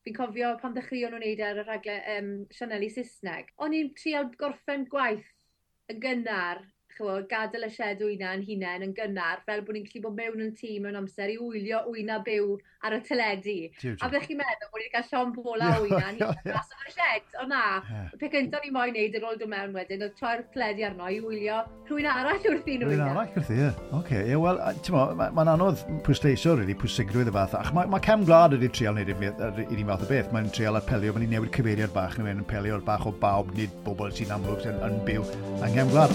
Fi'n cofio pan ddechreuon nhw'n wneud ar y rhaglen um, sianeli Saesneg. O'n i'n trial gorffen gwaith yn gynnar, ch'mod, gadael y shed wyna yn hunain yn gynnar, fel bod ni'n gallu bod mewn yn tŷ mewn amser i wylio wyna byw ar y teledu. Tiw, tiw. A byddech chi'n meddwl bod ni wedi cael llond bola o wyna yn hunain mas o'r shed. O na, y peth gyntaf ni moyn neud ar ôl dod mewn wedyn, oedd troi'r teledu arno i wylio rhywun arall wrthi nhw. Rhywun arall wrthi, ie. Oce, ie, wel, ti'n mo, mae'n ma anodd pwysleisio, really, pwysigrwydd y fath. Ach, mae ma cefn gwlad wedi trial wneud yr un fath o beth. Mae'n trial apelio, mae'n newid cyfeiriad bach, mae'n apelio bach o bawb, nid bobl sy'n amlwg sy'n yn byw yng nghefn gwlad.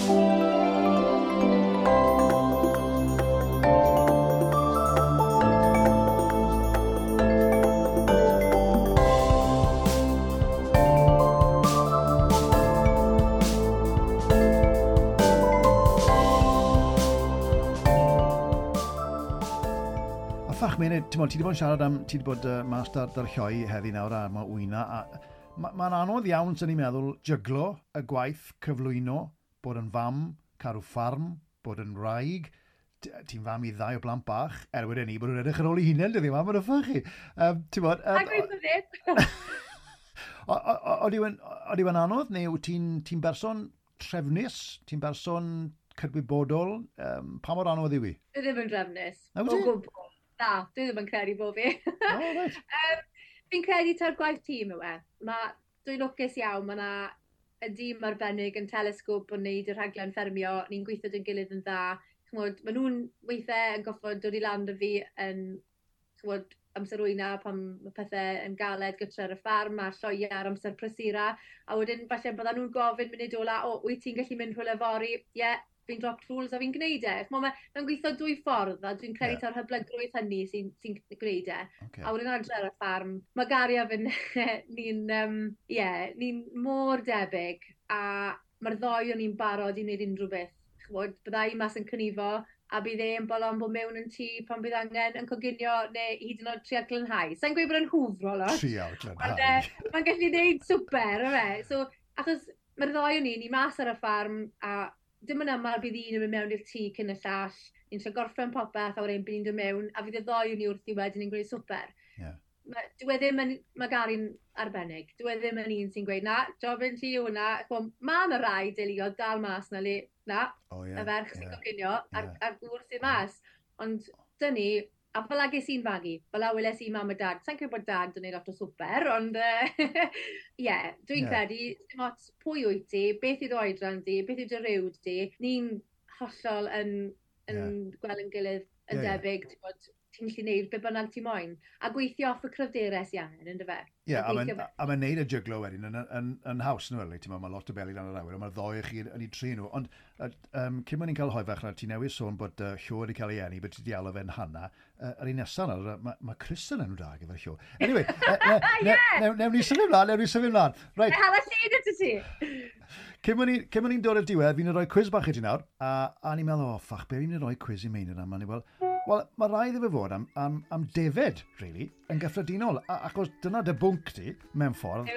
A ffach, Meinir, ti'n ti wedi bod yn siarad am, ti wedi bod uh, mas dar, dar lloi heddi nawr a mae wyna, a mae'n ma anodd iawn, sy'n ni'n meddwl, jyglo y gwaith cyflwyno, bod yn fam, cadw ffarm, bod yn wraig, ti'n fam i ddau o blant bach, er wedyn ni, bod nhw'n edrych ar ôl eu hunain, dyddi yma, mae'n ffach chi. Um, ti'n bod... Um, a gweithio ddim. Oeddi yn anodd, neu wyt ti'n ti berson trefnus, ti'n berson cydwybodol, um, pa mor anodd yw i? Dwi ddim yn drefnus. O gwbl. Na, dwi ddim yn credu bod fi. Oh, right. um, fi'n credu ta'r gwaith tîm yw e. Ma, dwi'n lwcus iawn, mae yna y dîm arbennig yn Telescope yn wneud y rhaglen ffermio, ni'n gweithio dy'n gilydd yn dda. Ch'mod, maen nhw'n weithiau yn goffod dod i lan â fi yn ch'mod, amser wyna pan mae pethau yn galed gytre ar y ffarm a lloia ar amser prysura. A wedyn falle byddan nhw'n gofyn munud ola, o, wyt ti'n gallu mynd rhywle fory? Ie, yeah, fi'n drop tools a fi'n gwneud e. Ch'mod, mae'n mae gweithio dwy ffordd a dwi'n credu yeah. ta'r hyblygrwydd hynny sy'n sy gwneud e. Okay. A wedyn adre ar y ffarm, mae Gary a fy ni'n um, yeah, ni mor debyg a mae'r ddoi o'n ni'n barod i wneud unrhyw beth. Ch'mod, bydda i mas yn cynifo a bydd e'n bolon bod mewn yn tŷ pan bydd angen yn coginio neu hyd yn oed trial glanhau. Sa'n gweud bod yn hwfro lot. Trial glanhau. Mae'n gallu gwneud swper, yfe. So, achos mae'r ddoi o'n ni, ni mas ar y ffarm a dim yn aml bydd un yn mynd mewn i'r tŷ cyn y llall, ni'n trio gorffen popeth a wedyn bydd ni'n dod mewn, a fydd y ddoi o'n ni wrthi wedyn ni'n gwneud swper. Yeah. Ma, dyw e ddim yn, mae Gary'n arbennig, dyw e ddim yn un sy'n gweud, na, jobyn ti yw hwnna, mae yna rai deuluoedd dal mas na le, na, oh, yeah, y ferch sy'n yeah, coginio, yeah. a'r, a'r gŵr sy'n mas. Ond dyn ni, a fel ges i'n fagu, fel a weles i mam a dad, sa'n credu bod dad yn gwneud lot o swper, ond ie, yeah, dwi'n yeah. credu, dim ots pwy wyt ti, beth yw dy oedran di, beth yw dy ryw di, ni'n hollol yn, yn yeah. gweld yn gilydd yn yeah, debyg, yeah. ti'n bod, ti'n gallu gwneud be bynnag ti moyn, a gweithio off y cryfderau sy angen, ynddo fe? Ie, yeah, a mae'n ma neud y jyglo wedyn yn, yn, yn, yn haws, nhw, ti'n mae lot o beli lan yr awyr, ond mae'r ddoi chi yn ei tri nhw. Ond um, cyn bod ni'n cael hoe fach, ti newydd sôn bod uh, Llo wedi cael ei eni, bod ti wedi alw fe'n Hana. Uh, yr un nesaf nawr, mae ma Chris yn enw da gyda'r Llo. Anyway, uh, ne, ne, ne, newn ni symud mlaen, newn ni symud mlaen. Right. Hala llun ydw ti. Cyn bod ni'n dod i'r diwedd, fi'n rhoi quiz bach i ti nawr, a, a ni'n meddwl, oh, ffach, be fi'n rhoi quiz i Meinir am? A ni'n fel, wel, mae rhaid iddo fe fod am, am, am defed, really, yn gyffredinol. A, achos dyna dy bwnc ti, mewn ffordd.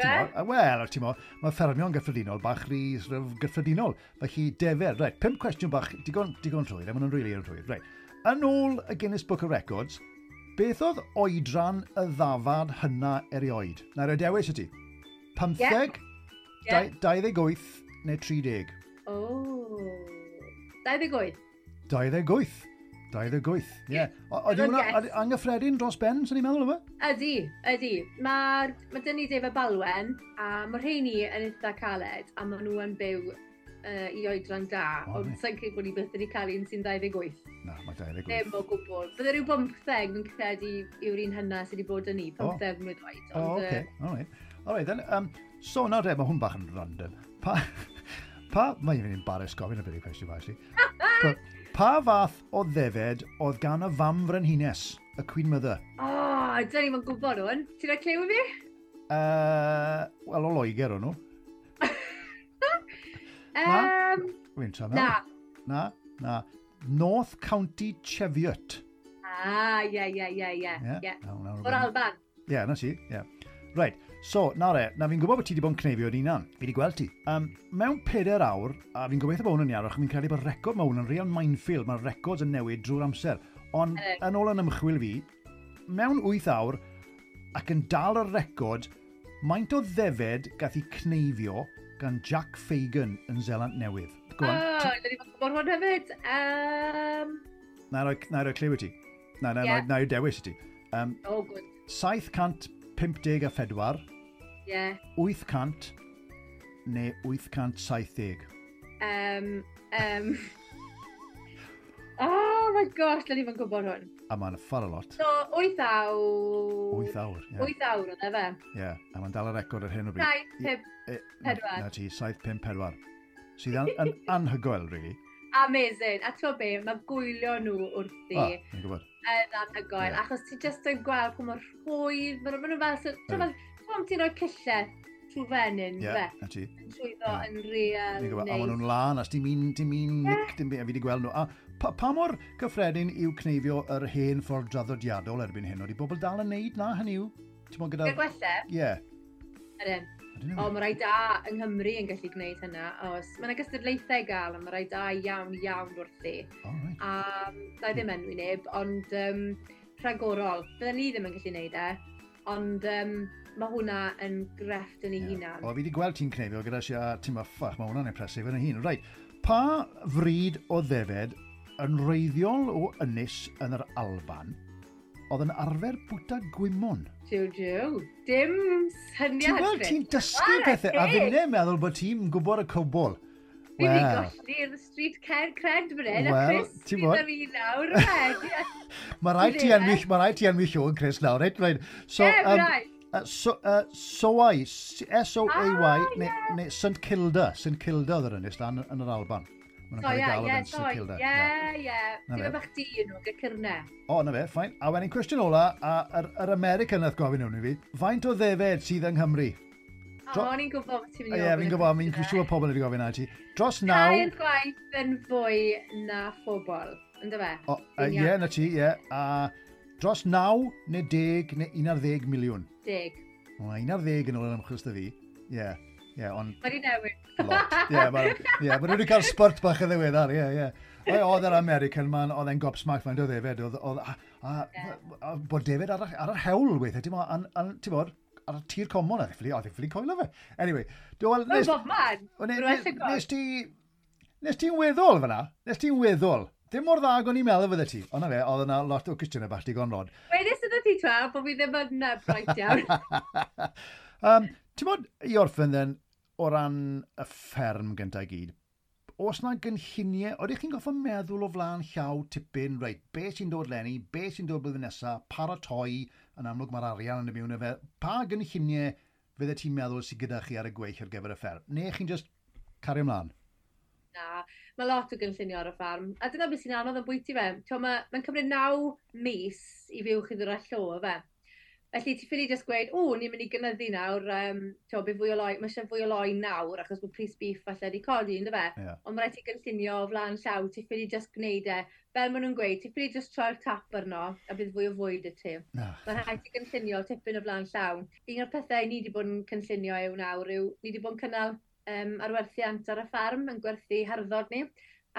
Wel, ti'n mo, mae ffermio'n gyffredinol bach rhy sort of, gyffredinol. Felly, defed, reit, pump cwestiwn bach, digon, digon rhwydd, a maen nhw'n rili yn rhwydd. Reit, yn ôl y Guinness Book of Records, beth oedd oedran y ddafad hynna erioed? Na, roi dewis i ti. Pymtheg, yeah. Yeah. dau ddeg wyth neu tri deg? Oh, dau ddeg wyth. dau ddeg wyth. dau ddeg wyth, ie. Ydy hwnna anghyffredin dros ben, sy'n ni'n meddwl, yma? Ydy, ydy. Mae ma dyn ni defed Balwen, a mae rheini yn eitha caled, a maen nhw yn byw uh, i oedran da, oh, ond sa'n credu bod ni byth wedi cael un sy'n dau ddeg wyth. Na, mae dau ddeg wyth. Ddim o gwbl. Bydde rhyw bymtheg yn credu yw'r un hynna sydd wedi bod yn ni, pymtheg oh. mlwydd oed. O, oh, oce. All right. All right, then. Um, so, nawr de, mae hwn bach yn random. Pa, pa, mae'n mynd i'n embarrassed gofyn y bit y cwestiwn, actually. Pa, pa fath o ddefed oedd gan y fam frenhines, y Queen Mother? O, oh, dyn ni'n gwybod hwn. Ti'n rhoi clyw i fi? Uh, Wel, o Loegr o'n nhw. Na? Um, Wy'n tra na. Na, na. North County Cheviot. Ah, Ah, ie, ie, ie, ie. Ie. O'r Alban. Ie, na ti, ie. Right, so, na re, na fi'n gwybod bod ti wedi bod yn cneifio yn unan. Fi wedi gweld ti. Um, mewn pedair awr, a fi'n gobeithio bod hwn yn iawn, achos fi'n credu bod record mae hwn yn real minefield, mae'r records yn newid drwy'r amser. Ond yn ôl yn ymchwil fi, mewn wyth awr, ac yn dal y record, maint o ddefed gath ei cneifio gan Jack Fagan yn Seland Newydd. Go on. Oh, dyn ni'n gwybod hwn hefyd. Um... Na i roi, na i roi cliw i ti. Na, na, yeah. na, na i dewis i ti. Um, oh, good. saith cant pump deg a phedwar. Yeah. wyth cant neu wyth cant saith deg. Um, um... Oh my gosh, dyn ni'n gwybod hwn. A mae'n far a lot. So, wyth awr. wyth awr, ie. wyth awr oedd e fe. Ie, yeah, a mae'n dal y record ar hyn o bryd. saith pump pedwar. Na ti, saith pump pedwar. Sydd an, an, anhygoel, really. Amazing. A ti'n be, mae gwylio nhw wrthi. O, fi'n gwybod. Yn anhygoel. Yeah. Achos ti just yn gweld pwy mor rhwydd, maen nhw fel, so, ti'n fel, ti'n rhoi cyllell trwy fenyn, yeah, fe? Na ti. Yn trwyddo yeah. yn real nice. A maen nhw'n lan, a dim un, dim un yeah. nick, dim byd, a fi wedi gweld nhw. A pa, pa mor gyffredin yw cneifio yr hen ffordd draddodiadol erbyn hyn? Oeddi bobl dal yn neud na, hynny yw? Ti'n bod gyda... Gyda gwella? Ie. Ydyn. O, mae rai da yng Nghymru yn gallu gwneud hynna. Os, mae yna gystadlaethau i gael, a mae rai da iawn, iawn wrthi. Oh, right. A da i ddim enwi neb, ond um, rhagorol. Bydden ni ddim yn gallu gwneud e, ond um, mae hwnna yn grefft yn ei yeah. hunan. O, fi wedi gweld ti'n cneifio gyda si a ti'n ma, ffach, mae hwnna'n impressive yn ei hun. Right, pa fryd o ddefed yn wreiddiol o ynys yn yr Alban oedd yn arfer bwyta gwymon? Jiw, jiw. Dim syniad. Ti'n gweld, ti'n dysgu pethau, a fi'n meddwl bod ti'n gwybod y cwbl. Fi wedi golli'r street cred fan hyn, a Chris sydd ar fi nawr. Mae rhaid ti ennill, mae rhaid ti enwi Siôn Chris nawr, reit? Right. So, yeah, um, right. Uh, so, uh, Soay, S O A Y, ah, neu, yeah. neu St Kilda, St Kilda oedd yr ynys lan yn yr Alban. Maen nhw'n cael ei galw yn St Kilda. Ie, ie. Ti'n bach di nhw, gyda cyrne. O, na fe, fine. A wedyn cwestiwn ola, a yr, yr American nath gofyn hwn i fi, faint o ddefed sydd yng Nghymru? O, o'n i'n gwybod beth ti'n mynd i ofyn. Ie, fi'n gwybod, mi'n siŵr pobl wedi gofyn na ti. Dros naw... Tair gwaith yn fwy na phobl, ynddo fe? O, ie, na ti, ie. A dros naw neu deg neu un ar ddeg miliwn? Deg. O, un ar ddeg yn ôl yn ymchwil 'da fi. Ie. Ie, ond... Mae di newid. Lot. Ie, ma, ie, ma nhw wedi cael spurt bach yn ddiweddar, ie, ie. Oedd yr American man, oedd e'n gobsmacked faint o ddefed, oedd, oedd, a, a, yeah. a, bod defed ar, ar yr hewl weithiau, ti'n bod, ti'n bod, ar y tir comon, oedd e ffili coelio fe. Anyway, dwi'n... Wel, bob man. Nes ti... Nes ti'n weddol fyna? Nes ti'n weddol? Dim mor dda ag o'n i'n meddwl fydde ti. Ond na fe, oedd yna lot o cwestiynau bach digon rod. Wedys ydw ti twel, bod fi ddim yn bright iawn. um, ti'n bod, i orffen then, o ran y fferm gyntaf i gyd, oes na gynlluniau, oeddech chi'n goffa meddwl o flaen llaw tipyn, reit, be sy'n dod leni, be sy'n dod blwyddyn nesaf, paratoi, yn amlwg mae'r arian yn y mewn efe, pa gynlluniau fydde ti'n meddwl sydd gyda chi ar y gweill ar gyfer y fferm? Neu chi'n just cario ymlaen? Na, mae lot o gynllunio ar y ffarm. A dyna beth sy'n anodd yn bwyty fe. Mae'n ma cymryd naw mis i fyw chi ddod â llo fe. Felly ti ffili just gweud, o, ni'n mynd i gynyddu nawr, um, t'o, bydd fwy o loi, mae eisiau fwy o loi nawr, achos bod pris beef falle wedi codi, ynddo fe? Yeah. Ond mae rhaid ti gynllunio o flaen llaw, ti ffili just gwneud e. Fel maen nhw'n gweud, ti ffili just troi'r tap arno, a bydd fwy o fwyd i ti. No. Mae rhaid ti gynllunio tipyn o flaen llaw. Un o'r pethau ni wedi bod yn cynllunio yw nawr yw, ni wedi bod yn cynnal um, arwerthiant ar y ffarm, yn gwerthu harddod ni.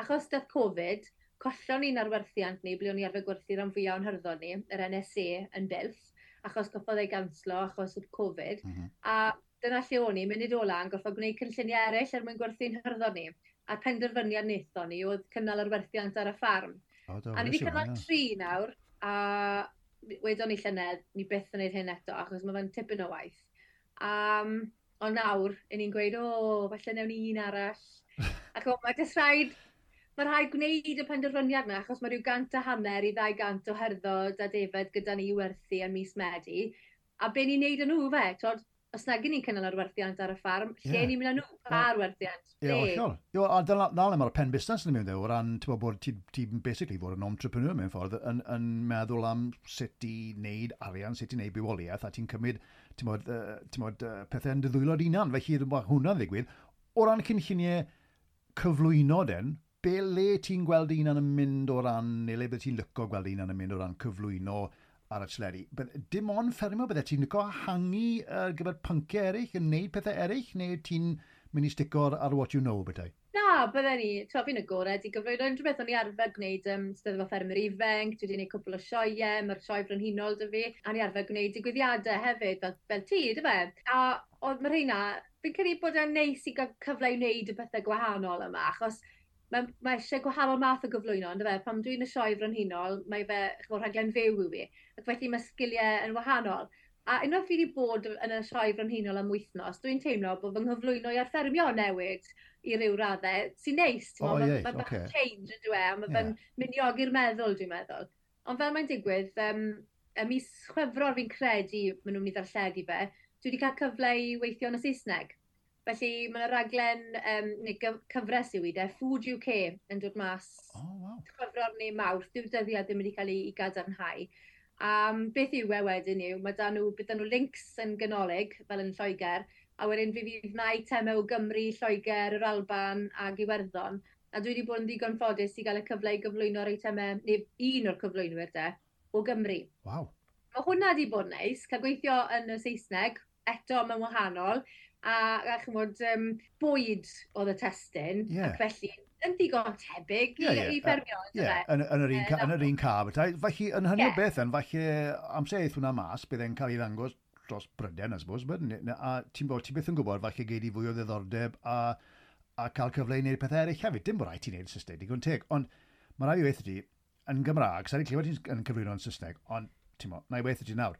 Achos dath Covid, collon ni'n arwerthiant ni, ble o'n i arfer gwerthu rhan fwyaf o'n harddod ni, yr N S A yn Builth, achos goffodd ei ganslo, achos oedd Covid. Mm -hmm. A dyna lle o'n i, munud ola, yn gorfod gwneud cynlluniau eraill er mwyn gwerthu'n hyrddod ni. A'r penderfyniad wnaethon ni oedd cynnal arwerthiant ar y ffarm. Oh, do, a ni wedi cynnal yeah. tri nawr, a wedon ni llynedd, ni byth yn gwneud hyn eto, achos mae fe'n tipyn o waith. Um, ond nawr, i ni'n gweud, o, falle newn ni un arall. Ac o, mae jyst rhaid, mae rhaid gwneud y penderfyniad yna, achos mae rhyw gant a hanner i ddau gant o herddod a defed gyda ni i werthu yn mis Medi. A be ni'n neud yn nhw fe, twod, os nag ni'n cynnal arwerthiant ar y ffarm, lle yeah. ni'n mynd â nhw? Pa arwerthiant? Ie, hollol. Ie, a dyna le mae'r pen busnes yn mynd o ran, ti'n bod, bod ti'n ti basically fod yn entrepreneur mewn ffordd, yn, yn meddwl am sut i wneud arian, sut i wneud bywoliaeth, a ti'n cymryd, ti'n bod, ti'n bod, pethau yn dy ddwylo dy hunan, felly mae hwnna'n ddigwydd. O ran cynlluniau cyflwyno den, Be le ti'n gweld un yn mynd o ran, neu le bydde ti'n licio gweld un yn mynd o ran cyflwyno ar y teledu? Dim ond ffermio, bydde ti'n licio ehangu ar gyfer pynciau eraill, yn neud pethau eraill, neu ti'n mynd i stico ar what you know, bethau? Na, bydde ni, ti'n fi'n agored i gyflwyno unrhyw beth. O'n i arfer gwneud um, Steddfod Ffermwyr Ifanc, dwi wedi gwneud cwpl o sioeau, mae'r sioe frenhinol 'da fi, a ni arfer gwneud digwyddiadau hefyd, fel, fel ti, dy fe? A oedd mae rheina, fi'n credu bod e'n neis i gael cyfle i wneud y pethau gwahanol yma, achos mae, mae eisiau gwahanol math o gyflwyno, ynddo fe? Pan dwi'n y sioe frenhinol, mae fe, ch'mod, rhaglen fyw yw fi, ac felly mae sgiliau yn wahanol. A unwaith fi wedi bod yn y sioe frenhinol am wythnos, dwi'n teimlo bod fy nghyflwyno i ar ffermio newid i ryw raddau, sy'n neis, ti'n oh, mae yeah, ma bach okay. change yn dwi, a mae fe'n yeah. miniogi'r meddwl, dwi'n meddwl. Ond fel mae'n digwydd, um, y mis Chwefror fi'n credu maen nhw'n mynd i ddarlledu fe, dwi wedi cael cyfle i weithio yn y Saesneg. Felly mae yna raglen, um, neu cyfres yw i de, Food U K yn dod mas oh, wow. Chwefror neu Mawrth, dyw'r dyddiad ddim wedi cael ei, ei gadarnhau. Um, beth yw e wedyn yw, mae da nhw, bydd nhw links yn ganolig, fel yn Lloegr, a wedyn fi fydd na eitemau o Gymru, Lloegr, yr Alban ag Iwerddon. A dwi wedi bod yn ddigon ffodus i gael y cyfle i gyflwyno'r eitemau, neu un o'r cyflwynwyr de, o Gymru. Wow. Mae hwnna wedi bod yn neis, cael gweithio yn y Saesneg, eto mae'n wahanol, a, a ch'mod, um, bwyd oedd y testun, yeah. ac felly yn ddigon tebyg yeah, i, yeah. i ffermio. Uh, yeah. Yn, yn, yr un, yn yr un car. Felly, yn hynny yeah. o beth, yn, felly amser eith hwnna mas, bydd e'n cael ei ddangos dros Brydain, I suppose, but, a ti'n bod, ti byth yn gwybod, falle gei di fwy o ddiddordeb a, a cael cyfle i wneud pethau eraill hefyd. Dim bod rhaid ti'n wneud Saesneg, digon teg, ond mae rhaid i weithio ti, yn Gymraeg, sa'n i clywed ti'n cyflwyno yn Saesneg, ond ti'n mo, na i weithio ti nawr,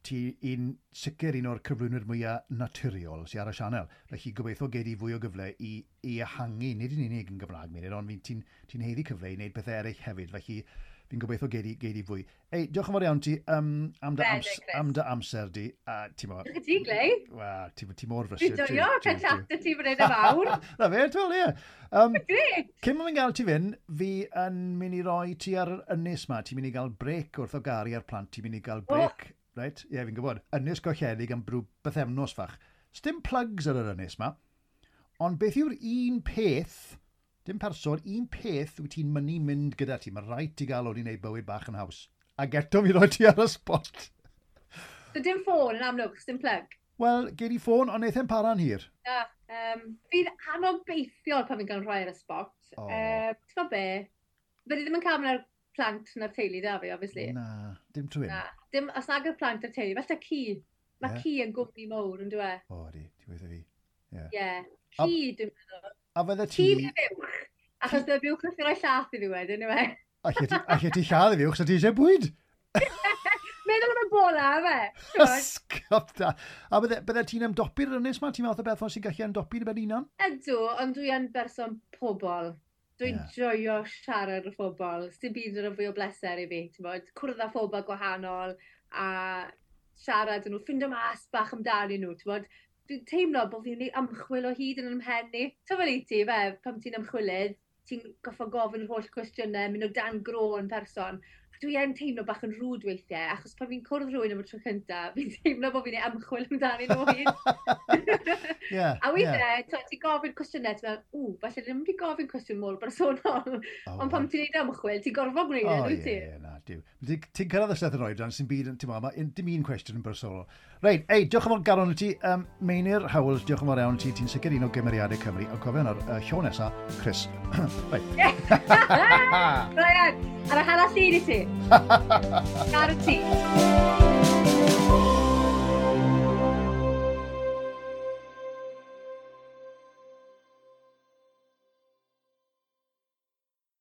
ti un sicr un o'r cyflwynwyr mwyaf naturiol sy'n ar y sianel. Felly gobeithio gei di fwy o gyfle i, i ehangu, nid yn unig yn Gymraeg, Meilir, ond ti'n ti haeddu cyfle i wneud pethau eraill hefyd. Felly fi'n gobeithio gei di, gei di fwy. Ei, diolch yn fawr iawn ti um, am, dy ams, am dy amser di. A, ti'n mo... Diolch i ti, Glei. Wel, ti, ti mor frysur. Dwi'n joio cael chat â ti fan hyn y fawr. Na fe, ti'n ie. Um, Grêt. Cyn mwyn gael ti fynd, fi yn mynd i roi ti ar yr ynys ma. Ti'n mynd i gael break wrth o garu ar plant. Ti'n mynd i gael break. Oh. Right? Ie, yeah, fi'n gwybod. Ynys golledig am brw bythefnos fach. Sdim plugs ar yr ynys ma. Ond beth yw'r un peth, dim person, un peth wyt ti'n mynnu mynd gyda ti? Mae rhaid ti gael o'n i wneud bywyd bach yn haws. Ac eto fi roi ti ar y spot. So dim ffôn yn amlwg, dim plug? Wel, gei di ffôn, ond neith e'n para'n hir. Na, um, fi'n anobeithiol pan fi'n cael rhoi ar y spot. Oh. Uh, ti'n gwybod be? Fyddi ddim yn cael mynd ar plant na'r teulu da fi, obviously. Na, dim trwy. Na, dim, os nag yw'r plant a'r teulu, falle ci. Mae yeah. ci yn gwmni mowr, yn dwi? O, di, ti weithio fi. Ie. Yeah. Ci, dwi'n meddwl. A fydde ti... Ci neu fuwch. Achos bydde buwch yn rhoi llath i fi wedyn, yw e? Alle ti lladd i fuwch, so ti eisiau bwyd? Meddwl am y bola, fe. Ysgop da. A bydde, bydde ti'n ymdopi'r ynys ma? Ti'n meddwl o beth sy'n gallu ymdopi yn y ben hunan? Ydw, ond dwi yn berson pobol. Dwi'n yeah. joio siarad â phobl. Sdim byd yn fwy o bleser i fi, ti'n bod? Cwrdd â phobl gwahanol a siarad â nhw, ffindo mas bach amdanyn nhw, ti'n bod? Dwi'n teimlo bod fi'n gwneud ymchwil o hyd yn ymhen i. Ti'n fel i ti, fe, pan ti'n ymchwilydd, ti'n goffo gofyn yr holl cwestiynau, mynd o dan gro yn person. Dwi yn teimlo bach yn rwd weithiau, achos pan fi'n cwrdd rhywun am y tro cyntaf, fi'n teimlo bod fi'n ei ymchwil amdanyn nhw o hyd. yeah, a weithiau, yeah. ti'n gofyn cwestiynau, ti'n meddwl, ww, falle ddim wedi gofyn cwestiwn mor bersonol. Oh, Ond pan ti'n neud ymchwil, ti'n gorfod gwneud e, oh, dwyt ti? Ie, yeah, na, diw. Ti'n cyrraedd y seth yn oedran sy'n byd, ti'n meddwl, dim un cwestiwn yn bersonol. Reit, ei, diolch yn fawr garon i ti. Um, Meinir Howells, diolch yn fawr iawn ti. Ti'n sicr un o gymeriadau Cymru. Ond cofio nawr, uh, llw nesa, Chris. Reit. Brian, ar y hanner llun i ti. Guaranteed.